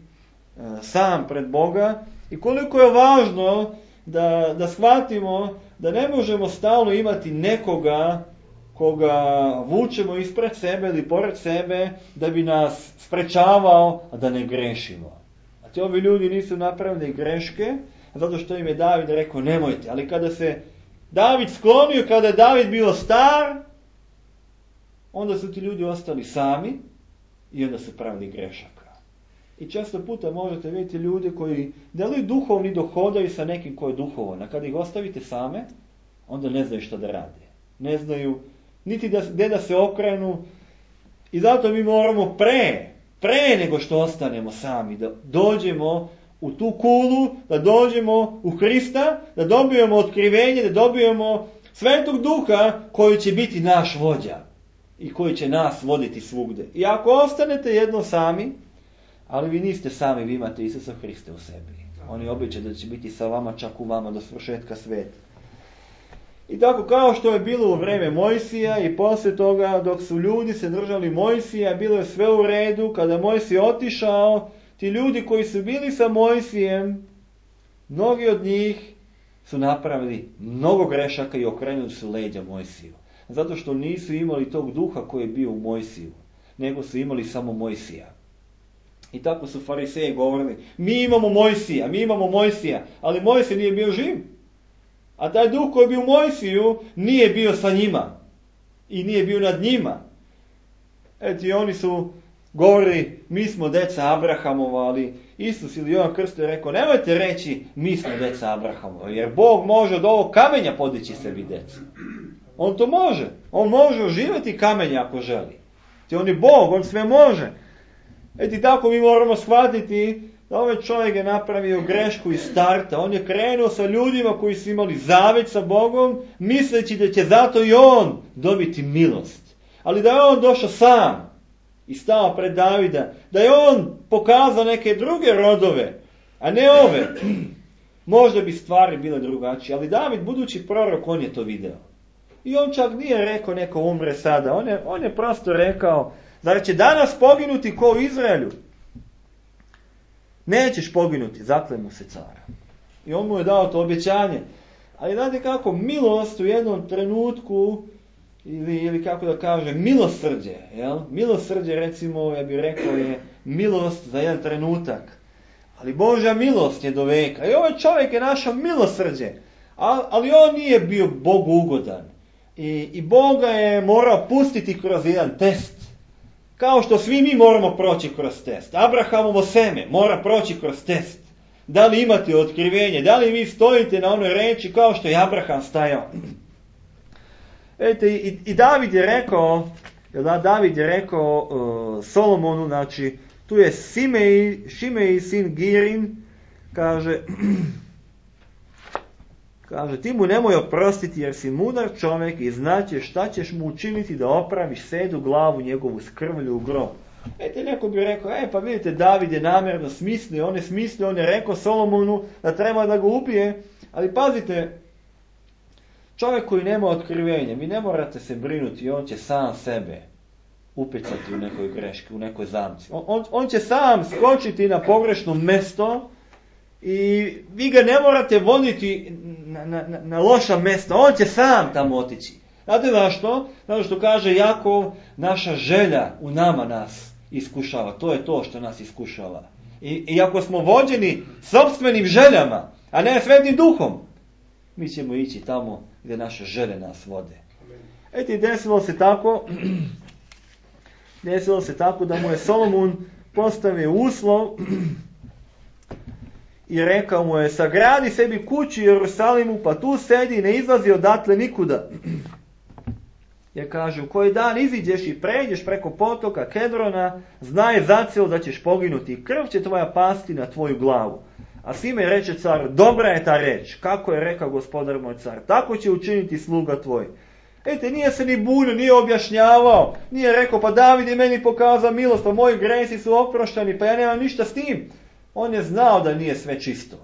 sam pred Boga i koliko je važno da, da shvatimo da ne možemo stalno imati nekoga koga vučemo ispred sebe ili pored sebe da bi nas sprečavao, a da ne grešimo. A ti ovi ljudi nisu napravili greške, zato što im je David rekao nemojte. Ali kada se David sklonio, kada je David bio star, onda su ti ljudi ostali sami i onda su pravili grešaka. I često puta možete vidjeti ljudi koji da li duhovni dohodaju sa nekim ko je duhovan, a kada ih ostavite same, onda ne znaju što da rade. Ne znaju niti da, gdje da se okrenu i zato mi moramo pre, pre nego što ostanemo sami, da dođemo u tu kulu, da dođemo u Hrista, da dobijemo otkrivenje, da dobijemo Svetog Duha koji će biti naš vođa i koji će nas voditi svugde. I ako ostanete jedno sami, ali vi niste sami, vi imate Isusa Hrista u sebi. On je obećao da će biti sa vama, čak u vama do svršetka sveta. I tako kao što je bilo u vreme Mojsija i poslije toga dok su ljudi se držali Mojsija, bilo je sve u redu. Kada Mojsij otišao, ti ljudi koji su bili sa Mojsijem, mnogi od njih su napravili mnogo grešaka i okrenuli su leđa Mojsiju. Zato što nisu imali tog duha koji je bio u Mojsiju, nego su imali samo Mojsija. I tako su fariseji govorili, mi imamo Mojsija, mi imamo Mojsija, ali Mojsij nije bio živ. A taj duh koji je bio u Mojsiju nije bio sa njima i nije bio nad njima. Eto i oni su govorili, mi smo deca Abrahamova, ali Isus ili Jovan Krsto je rekao, nemojte reći mi smo deca Abrahamova, jer Bog može od ovog kamenja podići sebi decu. On to može. On može oživjeti kamenje ako želi. Ti on je Bog, on sve može. Eto i tako mi moramo shvatiti da ovaj čovjek je napravio grešku iz starta. On je krenuo sa ljudima koji su imali zavet sa Bogom, misleći da će zato i on dobiti milost. Ali da je on došao sam i stao pred Davida, da je on pokazao neke druge rodove, a ne ove, možda bi stvari bile drugačije. Ali David, budući prorok, on je to video. I on čak nije rekao neko umre sada. On je, on je prosto rekao, zar će danas poginuti ko u Izraelju? Nećeš poginuti, zakle mu se cara. I on mu je dao to obećanje. Ali znate kako, milost u jednom trenutku, ili, ili kako da kažem, milosrđe, jel? Milosrđe, recimo, ja bih rekao, je milost za jedan trenutak. Ali Božja milost je do veka. I ovaj čovjek je našao milosrđe. Ali on nije bio Bogu ugodan. I, i Boga je morao pustiti kroz jedan test. Kao što svi mi moramo proći kroz test. Abrahamovo seme mora proći kroz test. Da li imate otkrivenje? Da li vi stojite na onoj reči kao što je Abraham stajao? Vidite, i, i David je rekao, da, David je rekao uh, Solomonu, znači, tu je Simej, Šimej sin Girin, kaže, kaže, ti mu nemoj oprostiti jer si mudar čovjek i znaće šta ćeš mu učiniti da opraviš sedu glavu njegovu s krvlju u grob. Ete, neko bi rekao, e pa vidite, David je namjerno smislio, on je smislio, on je rekao Solomonu da treba da ga ubije, ali pazite, čovjek koji nema otkrivenja, vi ne morate se brinuti, on će sam sebe upecati u nekoj greški, u nekoj zamci. On, on, on će sam skočiti na pogrešno mjesto i vi ga ne morate voditi na, na, na loša mjesta, on će sam tamo otići. Znate zašto? Zato što kaže Jakov, naša želja u nama nas iskušava. To je to što nas iskušava. I, i ako smo vođeni sopstvenim željama, a ne Svetim Duhom, mi ćemo ići tamo gdje naše želje nas vode. Eto, desilo se tako, desilo se tako da mu je Solomon postavio uslov i rekao mu je, sagradi sebi kuću u Jerusalimu, pa tu sedi i ne izlazi odatle nikuda. Jer kaže, u koji dan iziđeš i pređeš preko potoka Kedrona, znaj zacijelo da ćeš poginuti i krv će tvoja pasti na tvoju glavu. A Simej reče car, dobra je ta reč, kako je rekao gospodar moj car, tako će učiniti sluga tvoj. Ete, nije se ni bunio, nije objašnjavao, nije rekao, pa David je meni pokazao milost, pa moji gresi su oprošteni, pa ja nemam ništa s tim. On je znao da nije sve čisto.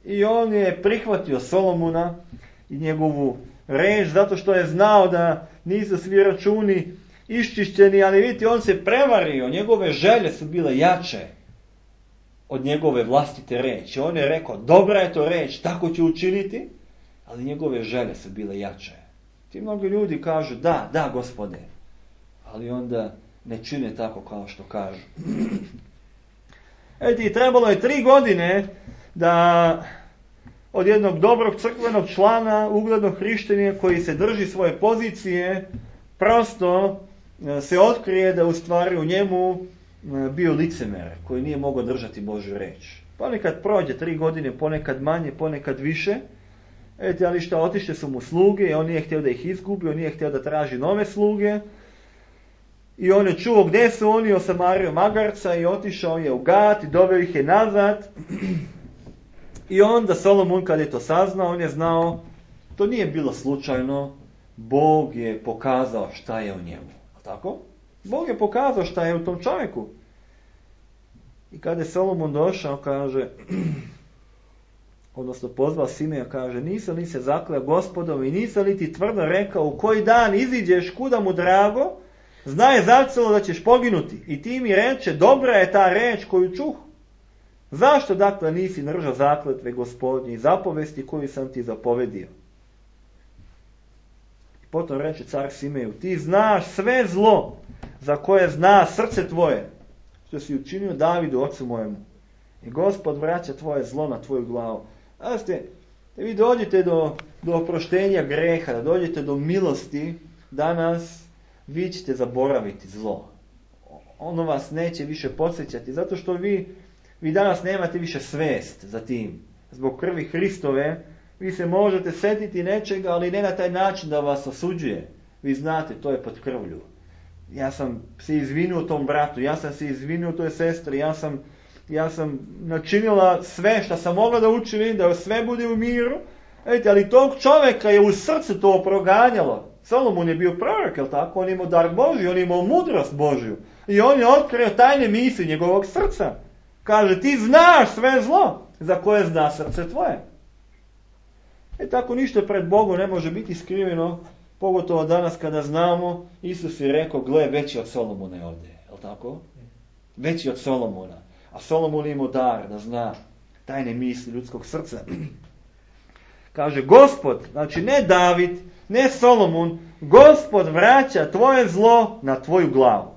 I on je prihvatio Solomona i njegovu reč, zato što je znao da nisu svi računi iščišćeni, ali vidite, on se prevario, njegove želje su bile jače od njegove vlastite reči. On je rekao, dobra je to reč, tako će učiniti, ali njegove želje su bile jače. Ti mnogi ljudi kažu, da, da, Gospode, ali onda ne čine tako kao što kažu. Eti, trebalo je tri godine da od jednog dobrog crkvenog člana, uglednog hrišćanina koji se drži svoje pozicije, prosto se otkrije da u stvari u njemu bio licemer koji nije mogao držati Božju reč. Ponekad prođe tri godine, ponekad manje, ponekad više. Eti, ali što, otišle su mu sluge i on nije htio da ih izgubi, on nije htio da traži nove sluge. I on je čuo gdje su oni, osamario magarca i otišao je u Gat i doveo ih je nazad. I onda Solomon kad je to saznao, on je znao, to nije bilo slučajno, Bog je pokazao šta je u njemu. Tako? Bog je pokazao šta je u tom čovjeku. I kada je Solomon došao, kaže, odnosno pozvao Simeja, kaže, nisam li se zakleo Gospodom i nisam li ti tvrdo rekao u koji dan iziđeš kuda mu drago, znaj zacelo da ćeš poginuti. I ti mi reče, dobra je ta reč koju čuh. Zašto dakle nisi držao zakletve Gospodnje i zapovesti koju sam ti zapovedio? I potom reče car Simeju, ti znaš sve zlo za koje zna srce tvoje, što si učinio Davidu, ocu mojemu. I Gospod vraća tvoje zlo na tvoju glavu. A ste, da vi dođete do, do oproštenja greha, da dođete do milosti, danas vi ćete zaboraviti zlo. Ono vas neće više podsjećati, zato što vi, vi danas nemate više svest za tim. Zbog krvi Hristove, vi se možete sjetiti nečega, ali ne na taj način da vas osuđuje. Vi znate, to je pod krvlju. Ja sam se izvinuo tom bratu, ja sam se izvinuo toj sestri, ja sam, ja sam načinila sve što sam mogla da učinim, da sve bude u miru. Ejte, ali tog čovjeka je u srcu to proganjalo. Solomon je bio prorok, jel tako? On je imao dar Božji, on je imao mudrost Božju. I on je otkrio tajne misli njegovog srca. Kaže, ti znaš sve zlo za koje zna srce tvoje. E tako ništa pred Bogom ne može biti skriveno, pogotovo danas kada znamo, Isus je rekao, gle, veći od Solomona je ovdje, jel tako? Veći od Solomona. A Solomon je imao dar da zna tajne misli ljudskog srca. Kaže, Gospod, znači ne David, ne Solomon, Gospod vraća tvoje zlo na tvoju glavu.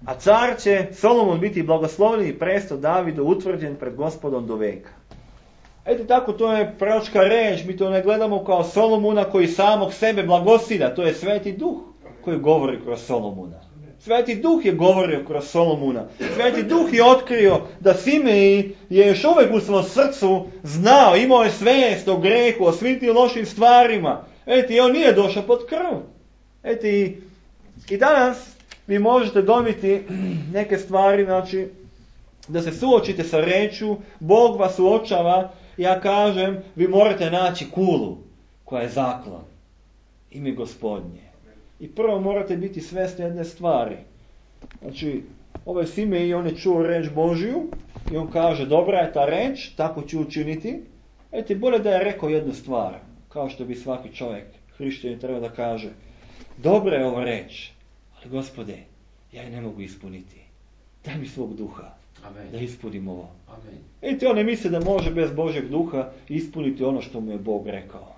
A car će Solomon biti blagoslovljen i presto Davidu utvrđen pred Gospodom do veka. Eto tako, to je proročka reč, mi to ne gledamo kao Solomona koji samog sebe blagosilja, to je Sveti Duh koji govori kroz Solomona. Sveti Duh je govorio kroz Solomona. Sveti Duh je otkrio da Simej je još uvijek u svom srcu znao, imao je svijest o grehu, o svim tim lošim stvarima. Eto, i on nije došao pod krv. Eto, i, i danas vi možete dobiti neke stvari, znači, da se suočite sa rečju, Bog vas uočava, ja kažem, vi morate naći kulu koja je zaklon. Ime Gospodnje. I prvo morate biti svjesni jedne stvari. Znači, ovaj Simej, on je čuo reč Božju i on kaže, dobra je ta reč, tako ću učiniti. Eto, bolje da je rekao jednu stvar, kao što bi svaki čovjek, hrišćanin, treba da kaže, dobra je ova reč, ali Gospode, ja je ne mogu ispuniti. Daj mi svog duha. Amen. Da ispunim ovo. Amen. Eto, on ne misli da može bez Božeg duha ispuniti ono što mu je Bog rekao.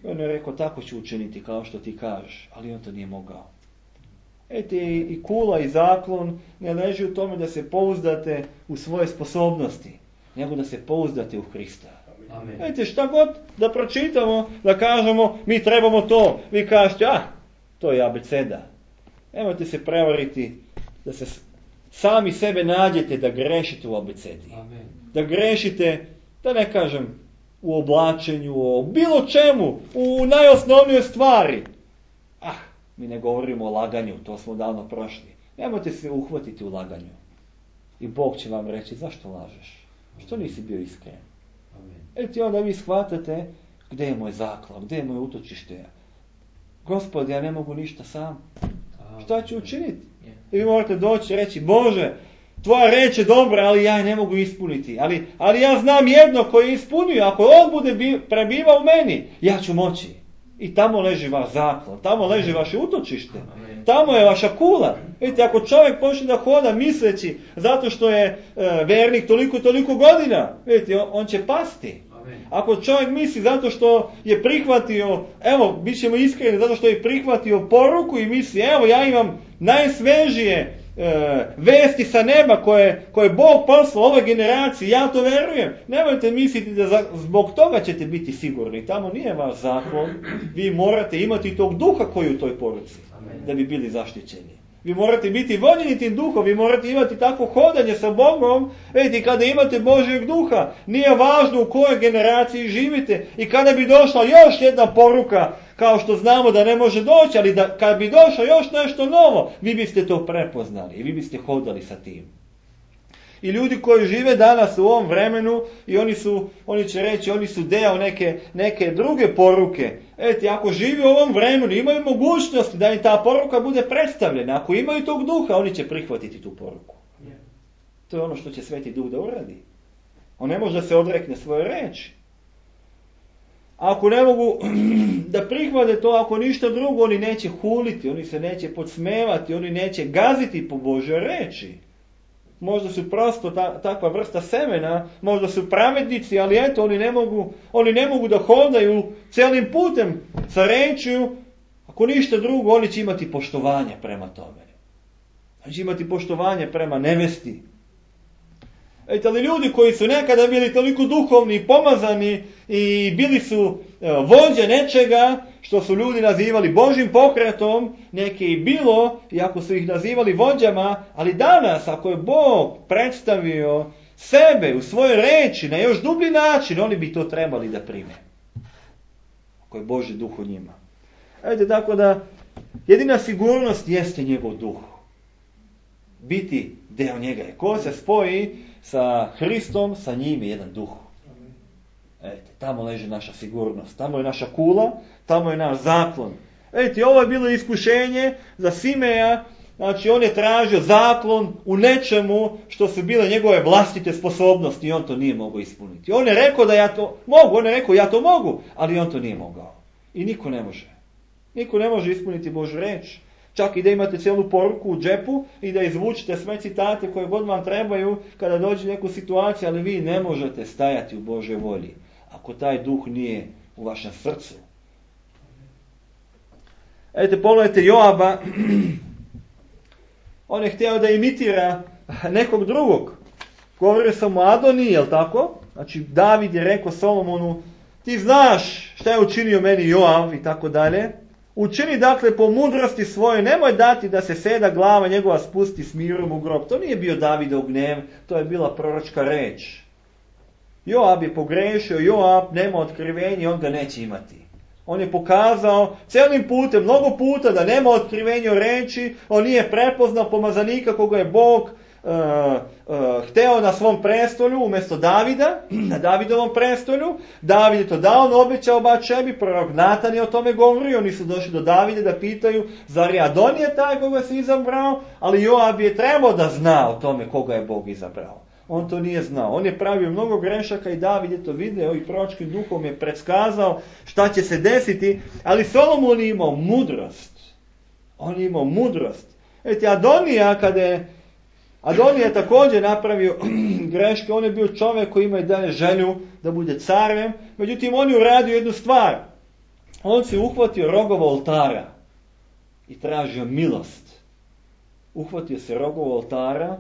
I on je rekao, tako ću učiniti kao što ti kažeš, ali on to nije mogao. Ete, i kula i zaklon ne leži u tome da se pouzdate u svoje sposobnosti, nego da se pouzdate u Hrista. Amen. Ete, šta god da pročitamo, da kažemo, mi trebamo to, vi kažete, ah, to je abeceda. Nemojte se prevariti da se sami sebe nađete da grešite u abecedi. Amen. Da grešite, da ne kažem, u oblačenju, o bilo čemu, u najosnovnijoj stvari. Ah, mi ne govorimo o laganju, to smo davno prošli. Nemojte se uhvatiti u laganju. I Bog će vam reći, zašto lažeš? Što nisi bio iskren? Eto i onda vi shvatate, gdje je moj zaklon, gdje je moje utočište? Gospod, ja ne mogu ništa sam. Šta ću učiniti? I vi morate doći i reći, Bože, tvoja reč je dobra, ali ja je ne mogu ispuniti. Ali, ali ja znam jedno koje je ispunio. Ako on bude bi, prebiva u meni, ja ću moći. I tamo leži vaš zaklon, tamo leži vaše utočište. Tamo je vaša kula. Vidite, ako čovjek počne da hoda misleći zato što je e, vernik toliko toliko godina, vidite, on, on će pasti. Ako čovjek misli zato što je prihvatio, evo, bit ćemo iskreni, zato što je prihvatio poruku i misli, evo, ja imam najsvežije e, vesti sa neba koje, koje Bog poslao ovoj generaciji, ja to verujem. Nemojte misliti da za, zbog toga ćete biti sigurni. Tamo nije vaš zaklon. Vi morate imati tog duha koji je u toj poruci, Amen. Da bi bili zaštićeni. Vi morate biti voljeni tim duhom, vi morate imati takvo hodanje sa Bogom. Vidite, kada imate Božjeg duha, nije važno u kojoj generaciji živite. I kada bi došla još jedna poruka, kao što znamo da ne može doći, ali da, kada bi došlo još nešto novo, vi biste to prepoznali i vi biste hodali sa tim. I ljudi koji žive danas u ovom vremenu, i oni su, oni će reći, oni su deo neke, neke druge poruke. Eti, ako živi u ovom vremenu, imaju mogućnosti da im ta poruka bude predstavljena. Ako imaju tog duha, oni će prihvatiti tu poruku. To je ono što će Sveti Duh da uradi. On ne može da se odrekne svoje reči. Ako ne mogu da prihvate to, ako ništa drugo, oni neće huliti, oni se neće podsmevati, oni neće gaziti po Božoj reči. Možda su prosto ta, takva vrsta semena, možda su pravednici, ali eto, oni ne mogu, oni ne mogu da hodaju celim putem sa rečju. Ako ništa drugo, oni će imati poštovanje prema tome. Oni će imati poštovanje prema nevesti. Eto, ali ljudi koji su nekada bili toliko duhovni i pomazani i bili su evo, vođe nečega što su ljudi nazivali Božjim pokretom, neke i bilo, iako su ih nazivali vođama, ali danas, ako je Bog predstavio sebe u svojoj reči na još dublji način, oni bi to trebali da prime. Ako je Božji duh u njima. Eto, tako da, jedina sigurnost jeste njegov duh. Biti deo njega je. Ko se spoji sa Hristom, sa njim je jedan duh. Eto, tamo leži naša sigurnost, tamo je naša kula, tamo je naš zaklon. Eto, ovo je bilo iskušenje za Simeja, znači on je tražio zaklon u nečemu što su bile njegove vlastite sposobnosti i on to nije mogao ispuniti. On je rekao da ja to mogu, on je rekao ja to mogu, ali on to nije mogao. I niko ne može. Niko ne može ispuniti Božju reč. Čak i da imate cijelu poruku u džepu i da izvučite sve citate koje god vam trebaju kada dođe neku situaciju, ali vi ne možete stajati u Božoj volji ako taj duh nije u vašem srcu. Eto, pogledajte Joaba. On je htio da imitira nekog drugog. Govorio sam o Adoniji, jel tako? Znači, David je rekao Solomonu, ti znaš šta je učinio meni Joab i tako dalje. Učini dakle po mudrosti svoje, nemoj dati da se seda glava njegova spusti s mirom u grob. To nije bio Davidov gnev, to je bila proročka reč. Joab je pogrešio, Joab nema otkrivenje, on ga neće imati. On je pokazao celim putem, mnogo puta da nema otkrivenja reči, on nije prepoznao pomazanika koga je Bog uh, uh, hteo na svom prestolju umjesto Davida, na Davidovom prestolju. David je to dao, on obećao Batšebi, prorok Natan je o tome govorio, oni su došli do Davida da pitaju, zar je Adonija taj koga se izabrao, ali Joab je trebao da zna o tome koga je Bog izabrao. On to nije znao. On je pravio mnogo grešaka i David je to video i proročkim duhom je predskazao šta će se desiti, ali Solomon je imao mudrost. On je imao mudrost. Eti, Adonija, kada je Adonija je također napravio greške, on je bio čovjek koji ima i dalje želju da bude carem, međutim on je uradio jednu stvar. on se uhvatio rogova oltara i tražio milost. Uhvatio se rogova oltara,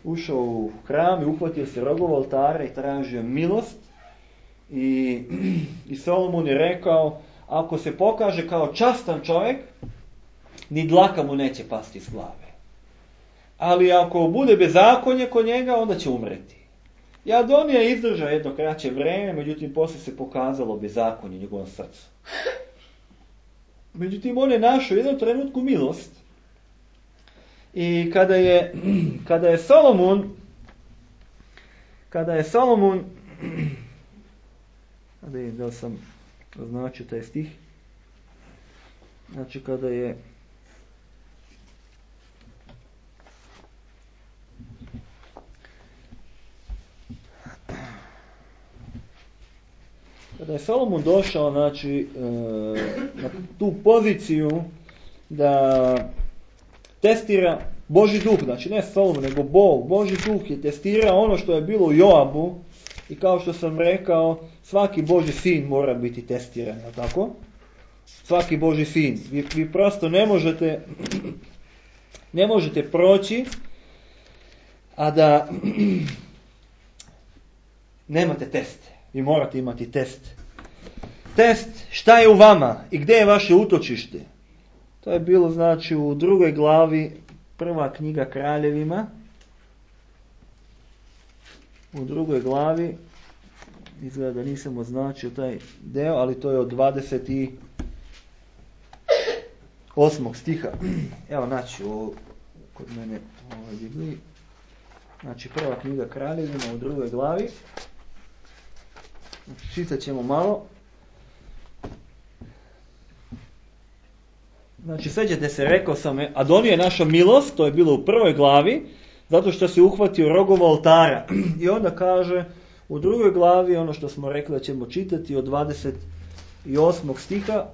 ušao u hram i uhvatio se rogova oltara i tražio milost. I, i Solomon je rekao, ako se pokaže kao častan čovjek, ni dlaka mu neće pasti iz glave. Ali ako bude bezakonje kod njega, onda će umreti. I Adonija je izdržao jedno kraće vreme, međutim poslije se pokazalo bezakonje u njegovom srcu. Međutim, on je našao u jednom trenutku milost. I kada je, kada je Solomon, kada je Solomon, da vidim da sam označio taj stih, znači kada je Kada je Solomon došao, znači, na tu poziciju da testira Božji duh, znači ne Solomon, nego Bog, Božji duh je testirao ono što je bilo u Joabu i kao što sam rekao, svaki Božji sin mora biti testiran, je tako? Svaki Božji sin. Vi, vi prosto ne možete, ne možete proći, a da nemate teste. Vi morate imati test. Test šta je u vama i gdje je vaše utočište. To je bilo znači u drugoj glavi, prva knjiga Kraljevima. U drugoj glavi, izgleda da nisam označio taj deo, ali to je od dvadeset osmog stiha. Evo znači u, kod mene u ovoj Bibliji. Znači prva knjiga Kraljevima u drugoj glavi. Čitat ćemo malo. Znači, sjećate se, rekao sam, Adonija je našao milost, to je bilo u prvoj glavi, zato što se uhvatio rogova oltara. I onda kaže, u drugoj glavi, ono što smo rekli da ćemo čitati, od dvadeset osmog stiha,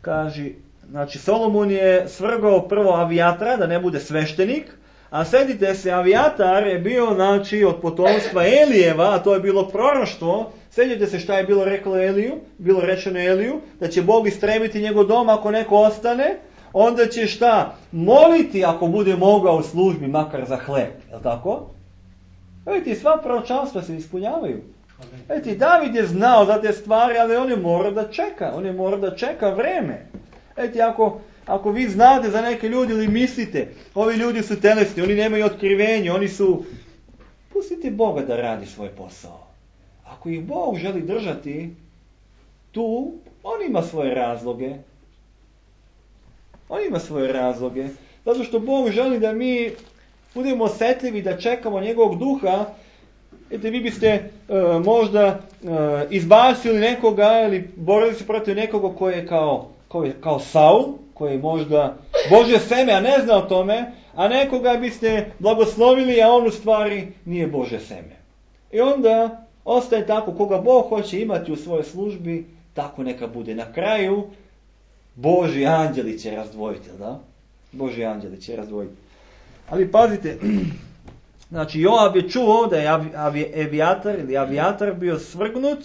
kaže, znači, Solomon je svrgao prvo Avijatra, da ne bude sveštenik, a sjetite se, Avijatar je bio, znači, od potomstva Elijeva, a to je bilo proroštvo. Sjetite se šta je bilo reklo Eliju, bilo rečeno Eliju, da će Bog istrebiti njegov dom ako neko ostane, onda će šta? Moliti ako bude mogao u službi, makar za hleb, je li tako? Vidite, sva proročanstva se ispunjavaju. Vidite, David je znao za te stvari, ali on je mora da čeka, on je mora da čeka vreme. Vidite, ako... Ako vi znate za neke ljudi ili mislite, ovi ljudi su telesni, oni nemaju otkrivenje, oni su... Pustite Boga da radi svoj posao. Ako ih Bog želi držati tu, on ima svoje razloge. On ima svoje razloge. Zato što Bog želi da mi budemo osjetljivi, da čekamo njegovog duha. Ete, vi biste uh, možda uh, izbacili nekoga ili borili se protiv nekoga koji je kao, koji je kao Saul, koji je možda Božje seme, a ne zna o tome, a nekoga biste blagoslovili, a on u stvari nije Božje seme. I onda ostaje tako, koga Bog hoće imati u svojoj službi, tako neka bude. Na kraju, Božji anđeli će razdvojiti, da? Božji anđeli će razdvojiti. Ali pazite, znači Joab je čuo da je Avijatar ili Avijatar bio svrgnut,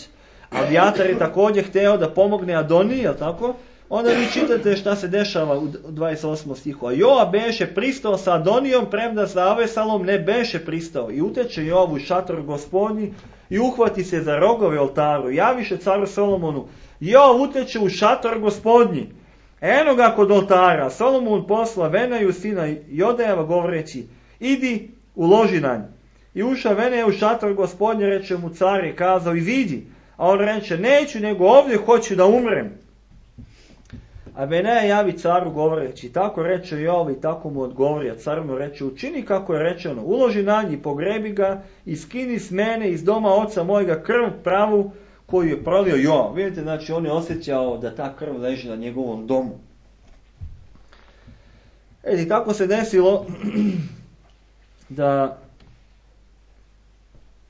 Avijatar je također hteo da pomogne Adoniji, je li tako? Onda vi čitate šta se dešava u dvadeset osmom stihu. A Joab beše pristao sa Adonijom, premda sa Avesalom ne beše pristao. I uteče Joab u šator gospodnji i uhvati se za rogove oltaru. Javiše caru Solomonu, Joab uteče u šator gospodnji. Eno ga kod oltara. Solomon posla Venaju sina Jodejeva govoreći, idi uloži na nj. I uša Veneja u šator gospodnji, reče mu car je kazao, iziđi. A on reče, neću, nego ovdje hoću da umrem. A Benaja javi caru govoreći, tako reče Joab i tako mu odgovori, a car mu reče, učini kako je rečeno, uloži na nj i pogrebi ga i skini s mene iz doma oca mojega krv pravu koju je prolio Joab. Vidite, znači on je osjećao da ta krv leži na njegovom domu. E, tako se desilo da,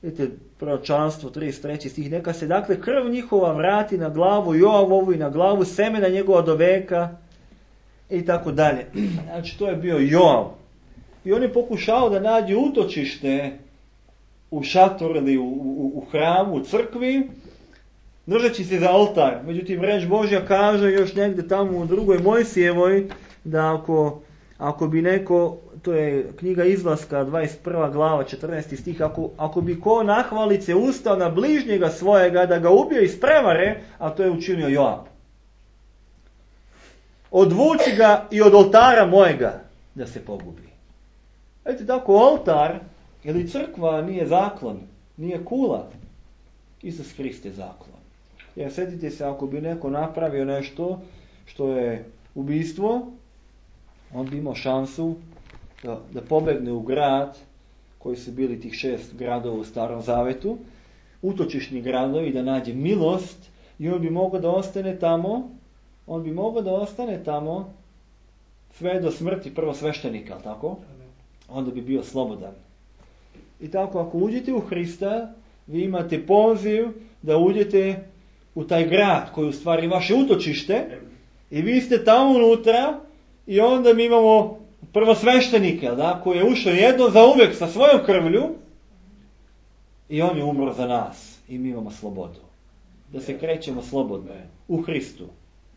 vidite, proročanstvo trideset treći stih, neka se dakle krv njihova vrati na glavu Joavovu i na glavu semena njegova do veka i tako dalje. Znači to je bio Joab. I on je pokušao da nađe utočište u šatoru ili u, u, u hramu, u crkvi, držeći se za oltar. Međutim, reč Božja kaže još negdje tamo u drugoj Mojsijevoj, da ako, ako bi neko, to je knjiga Izlaska, dvadeset prva glava, četrnaesti stih, ako, ako bi ko nahvalice ustao na bližnjega svojega da ga ubije iz prevare, a to je učinio Joab. Odvuči ga i od oltara mojega da se pogubi. Vidite, tako oltar ili crkva nije zaklon, nije kula. Isus Hrist je zaklon. Jer sjetite se, ako bi neko napravio nešto što je ubijstvo, on bi imao šansu da, da pobegne u grad, koji su bili tih šest gradova u Starom Zavetu, utočišni gradovi, da nađe milost i on bi mogao da ostane tamo, on bi mogao da ostane tamo sve do smrti prvosveštenika, ali tako? Onda bi bio slobodan. I tako, ako uđete u Hrista, vi imate poziv da uđete u taj grad koji je u stvari vaše utočište i vi ste tamo unutra i onda mi imamo prvosveštenika, da, koji je ušao jedno za uvijek sa svojom krvlju i on je umro za nas i mi imamo slobodu. Da se krećemo slobodno u Hristu.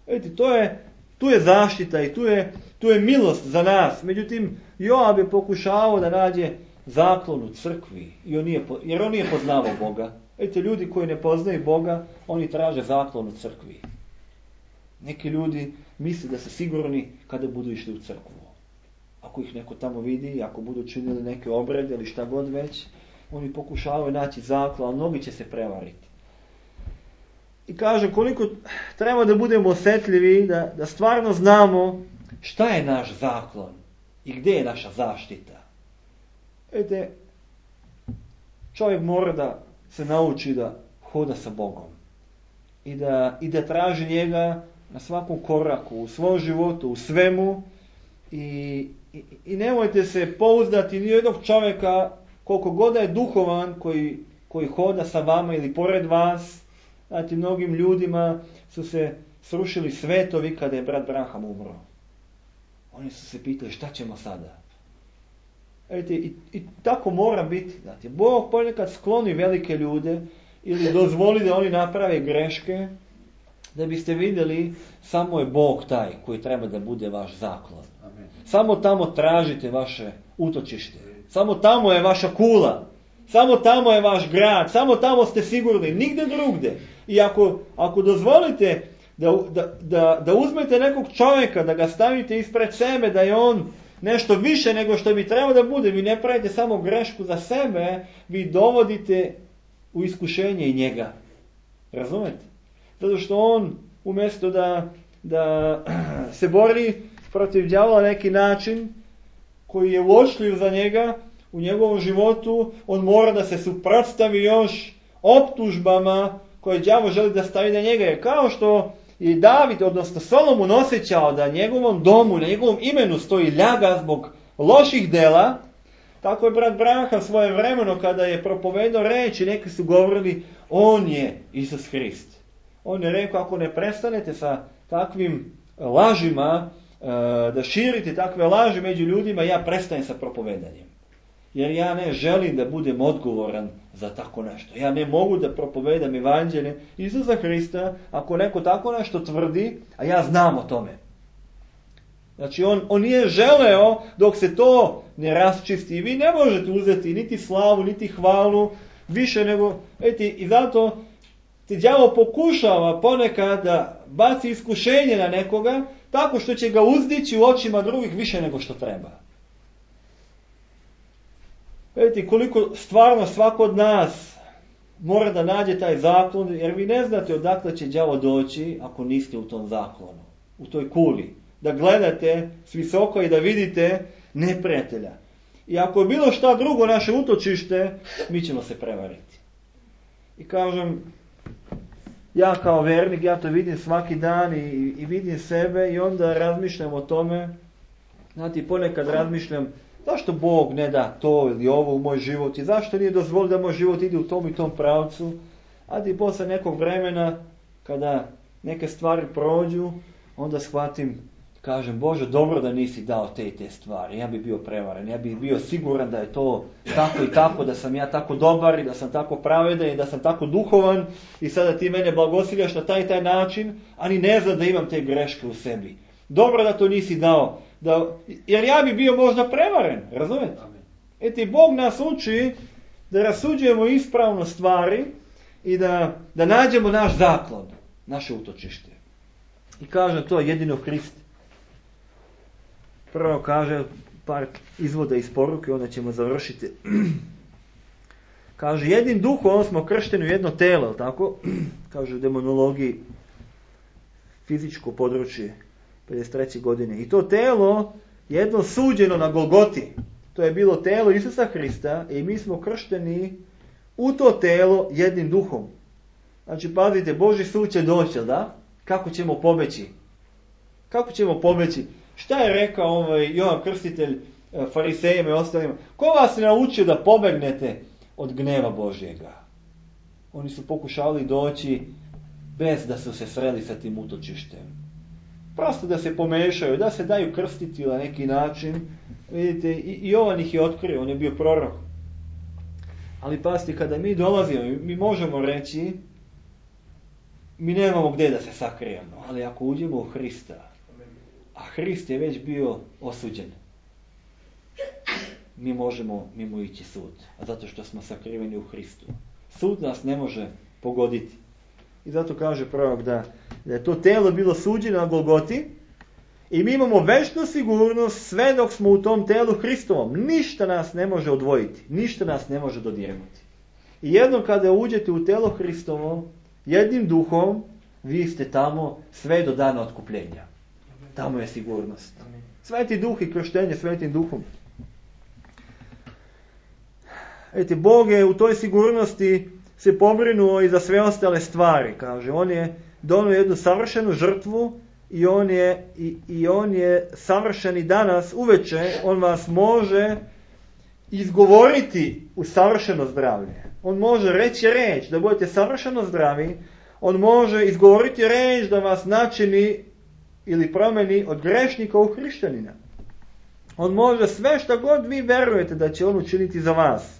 Vidite, to je, tu je zaštita i tu je, tu je milost za nas. Međutim, Joab je pokušavao da nađe zaklon u crkvi, i on nije, jer on nije poznavao Boga. Vidite, ljudi koji ne poznaju Boga, oni traže zaklon u crkvi. Neki ljudi misle da su sigurni kada budu išli u crkvu. Ako ih neko tamo vidi, ako budu činili neke obrede ili šta god već, oni pokušavaju naći zaklon, ali mnogi će se prevariti. I kaže, koliko treba da budemo osjetljivi, da, da stvarno znamo šta je naš zaklon i gdje je naša zaštita. Vidite, čovjek mora da se nauči da hoda sa Bogom i da, i da traži njega na svakom koraku, u svom životu, u svemu i, i, i nemojte se pouzdati ni jednog čovjeka koliko god je duhovan koji, koji hoda sa vama ili pored vas. Znate, mnogim ljudima su se srušili svetovi kada je brat Branham umro. Oni su se pitali šta ćemo sada. Vidite, i, i tako mora biti. Znate, Bog ponekad skloni velike ljude ili dozvoli da oni naprave greške, da biste vidjeli samo je Bog taj koji treba da bude vaš zaklon. Amen. Samo tamo tražite vaše utočište. Samo tamo je vaša kula. Samo tamo je vaš grad. Samo tamo ste sigurni. Nigde drugde. I ako, ako dozvolite da, da, da, da uzmete nekog čovjeka, da ga stavite ispred sebe, da je on nešto više nego što bi trebao da bude, vi ne pravite samo grešku za sebe, vi dovodite u iskušenje i njega. Razumete? Zato što on, umjesto da, da se bori protiv đavola na neki način koji je uočljiv za njega u njegovom životu, on mora da se suprotstavi još optužbama koje đavo želi da stavi na njega. Jer kao što je David, odnosno Solomon, osjećao da njegovom domu, na njegovom imenu stoji ljaga zbog loših dela, tako je brat Branham svoje vremeno kada je propovedao reči, neki su govorili, on je Isus Hrist. On je rekao, ako ne prestanete sa takvim lažima, da širite takve laži među ljudima, ja prestajem sa propovedanjem. Jer ja ne želim da budem odgovoran za tako nešto. Ja ne mogu da propovedam evanđelje Isusa Hrista ako neko tako nešto tvrdi, a ja znam o tome. Znači on, on nije želeo dok se to ne rasčisti. I vi ne možete uzeti niti slavu, niti hvalu, više nego... Eti, i zato ti đavo pokušava ponekad da baci iskušenje na nekoga, tako što će ga uzdići u očima drugih više nego što treba. Vidite koliko stvarno svako od nas mora da nađe taj zaklon, jer vi ne znate odakle će đavo doći ako niste u tom zaklonu, u toj kuli. Da gledate s visoko i da vidite neprijatelja. I ako je bilo šta drugo naše utočište, mi ćemo se prevariti. I kažem, ja kao vernik, ja to vidim svaki dan i, i vidim sebe i onda razmišljam o tome. Znate, ponekad razmišljam, zašto Bog ne da to ili ovo u moj život i zašto nije dozvolio da moj život ide u tom i tom pravcu. A i posle nekog vremena, kada neke stvari prođu, onda shvatim, Kažem, Bože, dobro da nisi dao te i te stvari. Ja bi bio prevaren. Ja bi bio siguran da je to tako i tako, da sam ja tako dobar i da sam tako pravedan i da sam tako duhovan i sada ti mene blagosiljaš na taj i taj način, a ni ne znam da imam te greške u sebi. Dobro da to nisi dao. Da, jer ja bi bio možda prevaren. Razumete? Eti, Bog nas uči da rasuđujemo ispravno stvari i da, da nađemo naš zaklon, naše utočište. I kaže to jedino Hrist. Prvo kaže par izvoda iz poruke, onda ćemo završiti. Kaže, jednim duhom smo kršteni u jedno telo, tako? Kaže u demonologiji, fizičko područje, pedeset treće godine. I to telo jedno suđeno na Golgoti. To je bilo telo Isusa Hrista i mi smo kršteni u to telo jednim duhom. Znači, pazite, Božji sud će doći, da? Kako ćemo pobeći? Kako ćemo pobeći? Šta je rekao ovaj Jovan Krstitelj farisejima i ostalima? Ko vas je naučio da pobegnete od gneva Božjega? Oni su pokušali doći bez da su se sreli sa tim utočištem. Prosto da se pomešaju, da se daju krstiti na neki način. Vidite, i Jovan ih je otkrio, on je bio prorok. Ali pazite, kada mi dolazimo, mi možemo reći, mi nemamo gdje da se sakrijemo, ali ako uđemo u Hrista, a Hrist je već bio osuđen, mi možemo mimo ići sud, a zato što smo sakriveni u Hristu. Sud nas ne može pogoditi. I zato kaže prorok da, da je to telo bilo suđeno na Golgoti i mi imamo večnu sigurnost sve dok smo u tom telu Hristovom. Ništa nas ne može odvojiti, ništa nas ne može dodirnuti. I jednom kada uđete u telo Hristovo, jednim duhom, vi ste tamo sve do dana otkupljenja. Tamo je sigurnost. Sveti duh i krštenje svetim duhom. Eti, Bog je u toj sigurnosti se pobrinuo i za sve ostale stvari. Kaže, on je donio jednu savršenu žrtvu i on je, i, i on je savršen i danas uveče. On vas može izgovoriti u savršeno zdravlje. On može reći reč da budete savršeno zdravi. On može izgovoriti reč da vas načini ili promeni od grešnika u hrišćanina. On može sve što god vi verujete da će on učiniti za vas.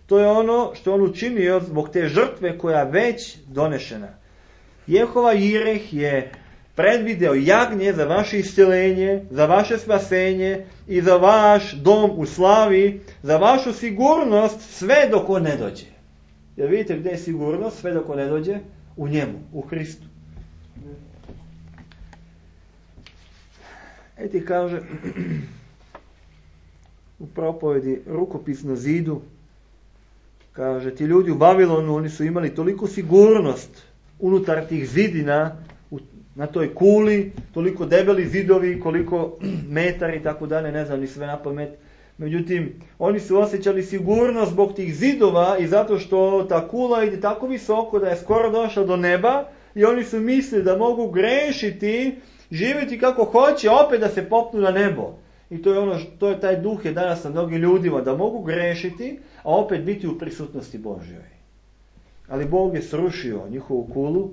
To je ono što on učinio zbog te žrtve koja je već donešena. Jehova Jireh je predvideo jagnje za vaše isceljenje, za vaše spasenje i za vaš dom u slavi, za vašu sigurnost sve dok on ne dođe. Jer vidite gdje je sigurnost sve dok on ne dođe? U njemu, u Hristu. Eti kaže u propovedi rukopis na zidu, kaže, ti ljudi u Babilonu, oni su imali toliku sigurnost unutar tih zidina, u, na toj kuli, toliko debeli zidovi, koliko metari i tako dalje, ne znam ni sve na pamet. Međutim, oni su osjećali sigurnost zbog tih zidova i zato što ta kula ide tako visoko da je skoro došla do neba i oni su mislili da mogu grešiti, živjeti kako hoće, opet da se popnu na nebo. I to je ono, to je taj duh je danas na mnogim ljudima, da mogu grešiti, a opet biti u prisutnosti Božjoj. Ali Bog je srušio njihovu kulu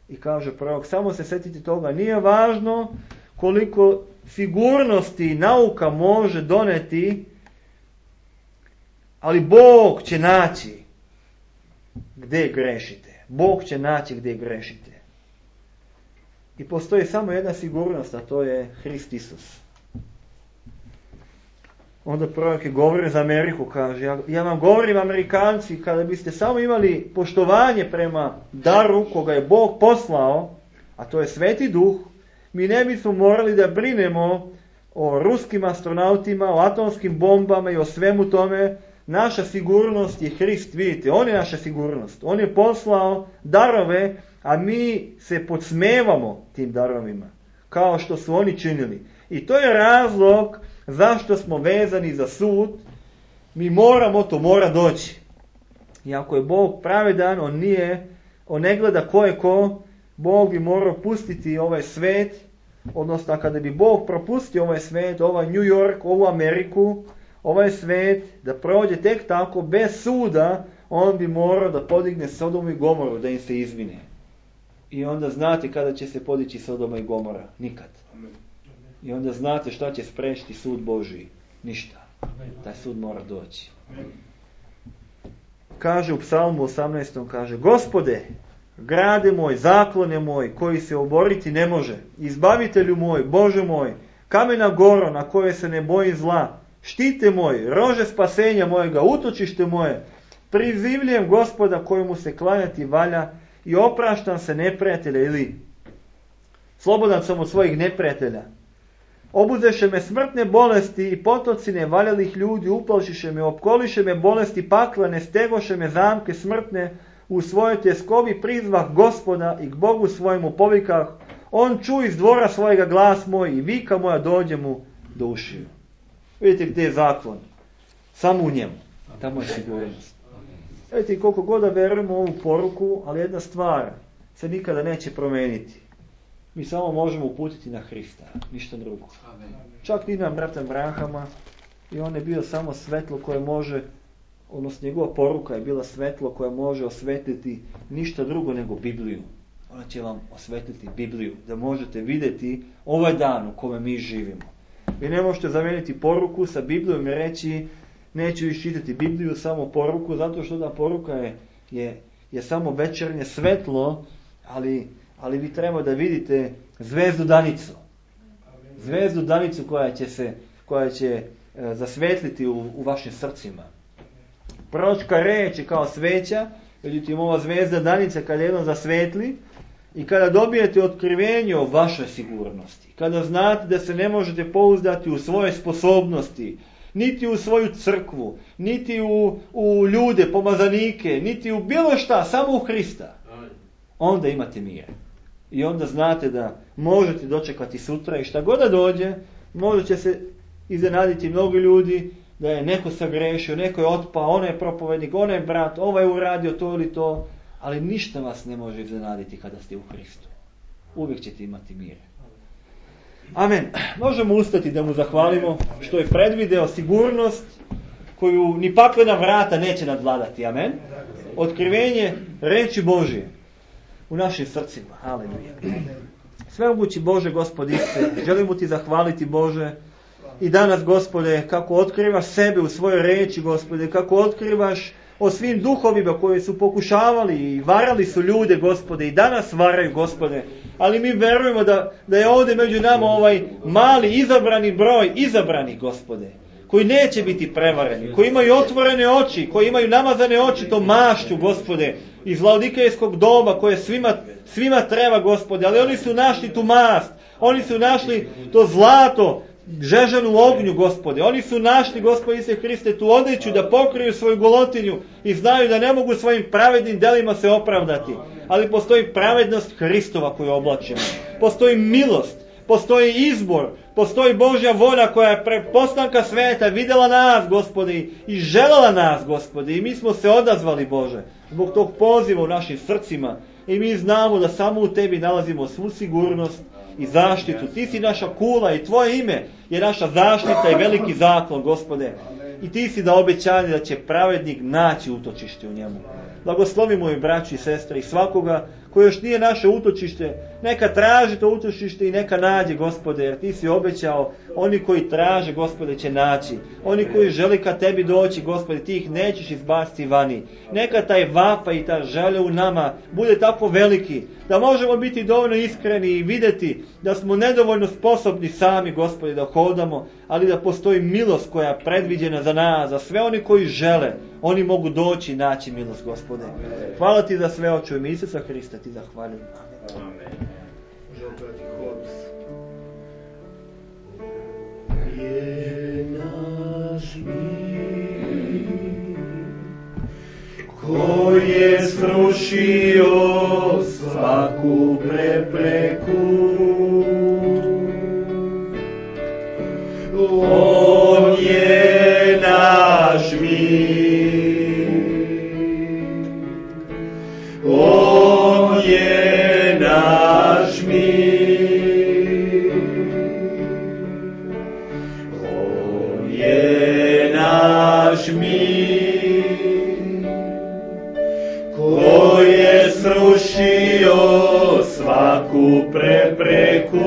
i kaže prorok, samo se sjetite toga, nije važno koliko sigurnosti nauka može doneti, ali Bog će naći gdje grešite. Bog će naći gdje grešite. I postoji samo jedna sigurnost, a to je Hrist Isus. Onda prorok je govori za Ameriku, kaže, ja, ja vam govorim Amerikanci, kada biste samo imali poštovanje prema daru koga je Bog poslao, a to je Sveti Duh, mi ne bismo morali da brinemo o ruskim astronautima, o atomskim bombama i o svemu tome. Naša sigurnost je Hrist, vidite, on je naša sigurnost. On je poslao darove, a mi se podsmevamo tim darovima, kao što su oni činili. I to je razlog zašto smo vezani za sud. Mi moramo, to mora doći. I ako je Bog pravedan, on nije, on ne gleda ko je ko, Bog bi morao pustiti ovaj svet, odnosno kada bi Bog propustio ovaj svet, ovaj New York, ovu Ameriku, ovaj svet, da prođe tek tako, bez suda, on bi morao da podigne Sodomu i Gomoru, da im se izvine. I onda znate kada će se podići Sodoma i Gomora? Nikad. I onda znate šta će spriječiti sud Božiji. Ništa. Taj sud mora doći. Kaže u psalmu osamnaestom, kaže: Gospode, grade moj, zaklone moj, koji se oboriti ne može, izbavitelju moj, Bože moj, kamena goro na koje se ne boji zla, štite moj, rože spasenja mojega, utočište moje, prizivljujem Gospoda kojemu se klanjati valja i opraštam se neprijatelja, ili slobodan sam od svojih neprijatelja. Obuzeše me smrtne bolesti i potoci nevaljalih ljudi, uplašiše me, opkoliše me bolesti paklane, stegoše me zamke smrtne, u svojoj tjeskobi prizvah Gospoda i k Bogu svojemu povikah, on ču iz dvora svojega glas moj i vika moja dođe mu do ušiju. Vidite gdje je zaklon? Samo u njemu. Tamo je sigurnost. Vidite koliko god da verujemo u ovu poruku, ali jedna stvar se nikada neće promijeniti. Mi samo možemo uputiti na Hrista, ništa drugo. Čak ni na brata Brahama, i on je bio samo svetlo koje može, odnosno njegova poruka je bila svetlo koje može osvetliti ništa drugo nego Bibliju. Ona će vam osvetliti Bibliju, da možete vidjeti ovaj dan u kome mi živimo. Vi ne možete zamijeniti poruku sa Biblijom i reći neću iščitati Bibliju, samo poruku, zato što ta poruka je, je, je samo večernje svetlo, ali, ali vi treba da vidite zvezdu danicu. Zvezdu danicu koja će se koja će e, zasvetliti u, u vašim srcima. Proročka reč je kao sveća, međutim ova zvezda danica kada jedno zasvetli i kada dobijete otkrivenje o vašoj sigurnosti, kada znate da se ne možete pouzdati u svoje sposobnosti, niti u svoju crkvu, niti u, u ljude, pomazanike, niti u bilo šta, samo u Hrista, onda imate mir. I onda znate da možete dočekati sutra i šta god da dođe, možda će se iznenaditi mnogi ljudi da je neko sagrešio, neko je otpao, on je propovednik, on je brat, ovaj je uradio to ili to, ali ništa vas ne može iznenaditi kada ste u Hristu. Uvijek ćete imati mir. Amen. Možemo ustati da mu zahvalimo što je predvideo sigurnost koju ni paklena vrata neće nadvladati. Amen. Otkrivenje reči Božje u našim srcima. Haleluja. Svemogući Bože, Gospod Ise, želimo ti zahvaliti, Bože, i danas, Gospode, kako otkrivaš sebe u svojoj reči, Gospode, kako otkrivaš o svim duhovima koji su pokušavali i varali su ljude, Gospode, i danas varaju, Gospode, ali mi verujemo da, da je ovdje među nama ovaj mali izabrani broj, izabrani, Gospode, koji neće biti prevareni, koji imaju otvorene oči, koji imaju namazane oči to mašću, Gospode, iz laodikejskog doba koje svima, svima treba, Gospode, ali oni su našli tu mast, oni su našli to zlato, žežanu u ognju, Gospode. Oni su našli, Gospode Isuse Hriste, tu odjeću da pokriju svoju golotinju i znaju da ne mogu svojim pravednim delima se opravdati. Ali postoji pravednost Hristova koju oblačimo. Postoji milost, postoji izbor, postoji Božja volja koja je pre postanka sveta vidjela nas, Gospode, i željela nas, Gospode. I mi smo se odazvali, Bože, zbog tog poziva u našim srcima. I mi znamo da samo u tebi nalazimo svu sigurnost i zaštitu. Ti si naša kula i tvoje ime je naša zaštita i veliki zaklon, Gospode. I ti si da obećanje da će pravednik naći utočište u njemu. Blagoslovi moji braći i sestre i svakoga koji još nije naše utočište, neka traži to utočište i neka nađe, Gospode, jer ti si obećao, oni koji traže, Gospode, će naći. Oni koji žele ka tebi doći, Gospode, ti ih nećeš izbaciti vani. Neka taj vapa i ta želja u nama bude tako veliki, da možemo biti dovoljno iskreni i vidjeti da smo nedovoljno sposobni sami, Gospode, da hodamo, ali da postoji milost koja je predviđena za nas, za sve oni koji žele. Oni mogu doći i naći milost, Gospode. Hvala ti za sve, oče, u ime Isusa Hrista ti zahvaljujem. Amen. Je naš mir, koji je srušio svaku prepreku. On je naš mir, on je naš mir, on je naš mir, koji je srušio svaku prepreku.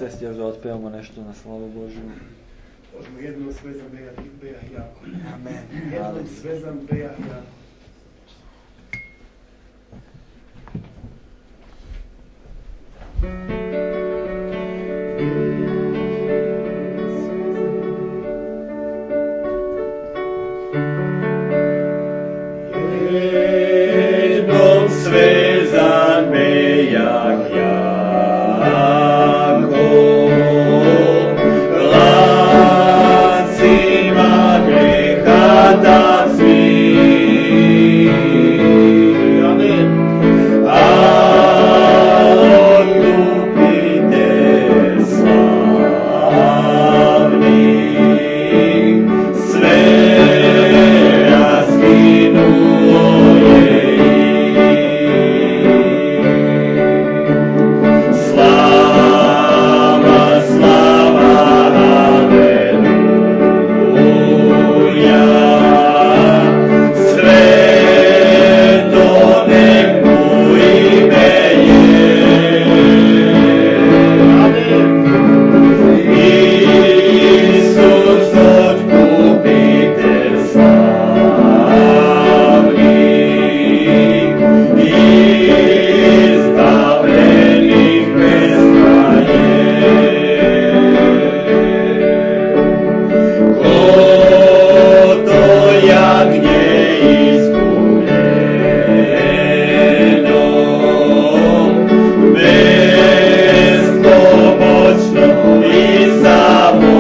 sjesti još da otpevamo nešto na slavu Božju. Možemo jednom svezan bejah i bejah jako. Amen. Jednom svezan bejah jako. Jednom svezan bejah jako, lancima greha da svih. Amen. A odlupite slavni, sve raskinulo je. Slava, slava, aleluja, sveto nek mu ime je. Isus otkupitelj slavni, izbavljenih pesma je. Ko to jagnje iskupljeno, bespomoćno i samo.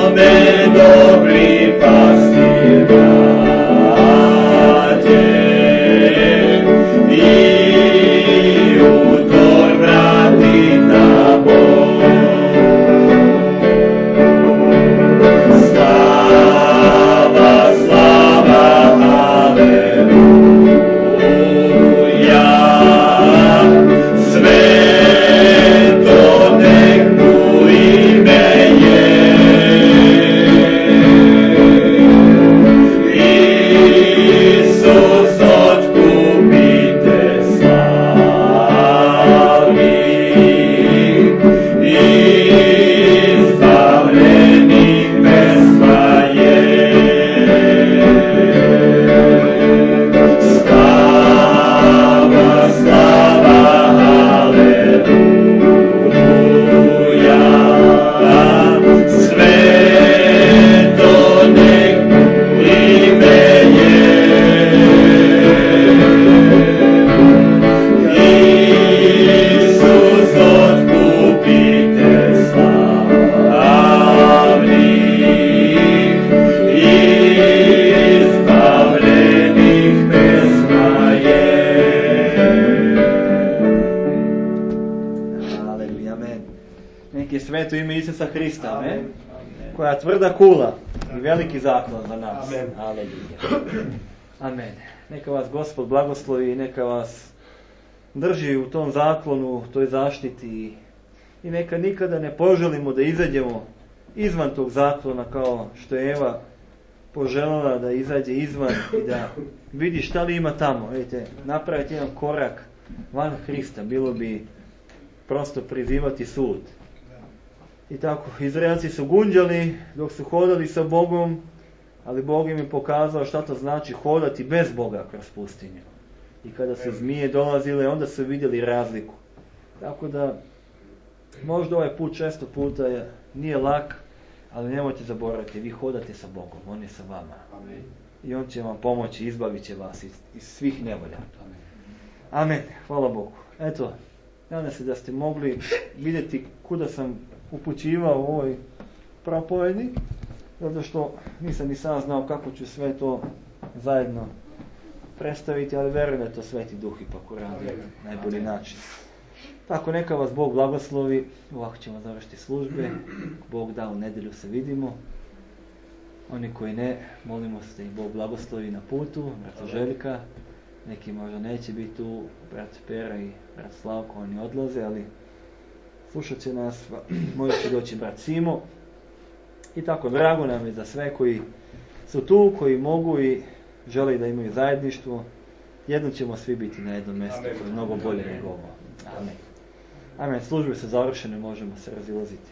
Amen, dobri pastir braće, i u tor vrati tamo. Slava, slava, aleluja, sveto nek mu ime je. Isus otkupitelj slavni, izbavljenih pesma je. Slava, slava, aleluja, sveto nek mu ime je. Isus otkupitelj slavni, izbavljenih pesma je. Aleluja, amen. Neki sveto ime Isusa Hrista, amen. Amen. Koja tvrda kula i veliki zaklon za nas. Amen. Aleluja. Amen. Neka vas Gospod blagoslovi i neka vas drži u tom zaklonu, u toj zaštiti i neka nikada ne poželimo da izađemo izvan tog zaklona kao što je Eva poželjela da izađe izvan i da vidi šta li ima tamo. Vidite, napraviti jedan korak van Hrista bilo bi prosto prizivati sud. I tako, Izraelci su gunđali dok su hodali sa Bogom, ali Bog im je pokazao šta to znači hodati bez Boga kroz pustinju. I kada su zmije dolazile, onda su vidjeli razliku. Tako da, možda ovaj put često puta je, nije lak, ali nemojte zaboraviti, vi hodate sa Bogom, On je sa vama. Amen. I On će vam pomoći, izbavit će vas iz, iz svih nevolja. Amen. Hvala Bogu. Eto, nadam se da ste mogli vidjeti kuda sam upućivao u ovoj propovedi, zato što nisam ni sam znao kako ću sve to zajedno predstaviti, ali verujem da je to Sveti Duh ipak uradi na najbolji način. Tako, neka vas Bog blagoslovi, ovako ćemo završiti službe, Bog da, u nedjelju se vidimo. Oni koji ne, molimo se da ih Bog blagoslovi na putu, brat Željka, neki možda neće biti tu, brat Pera i brat Slavko, oni odlaze, ali slušat će nas, možda će doći brat Simo. I tako, drago nam je za sve koji su tu, koji mogu i žele da imaju zajedništvo. jednom ćemo svi biti na jednom mjestu Amen. koje je mnogo bolje nego ovo. Amen. Amen. Službe su završene, možemo se razilaziti.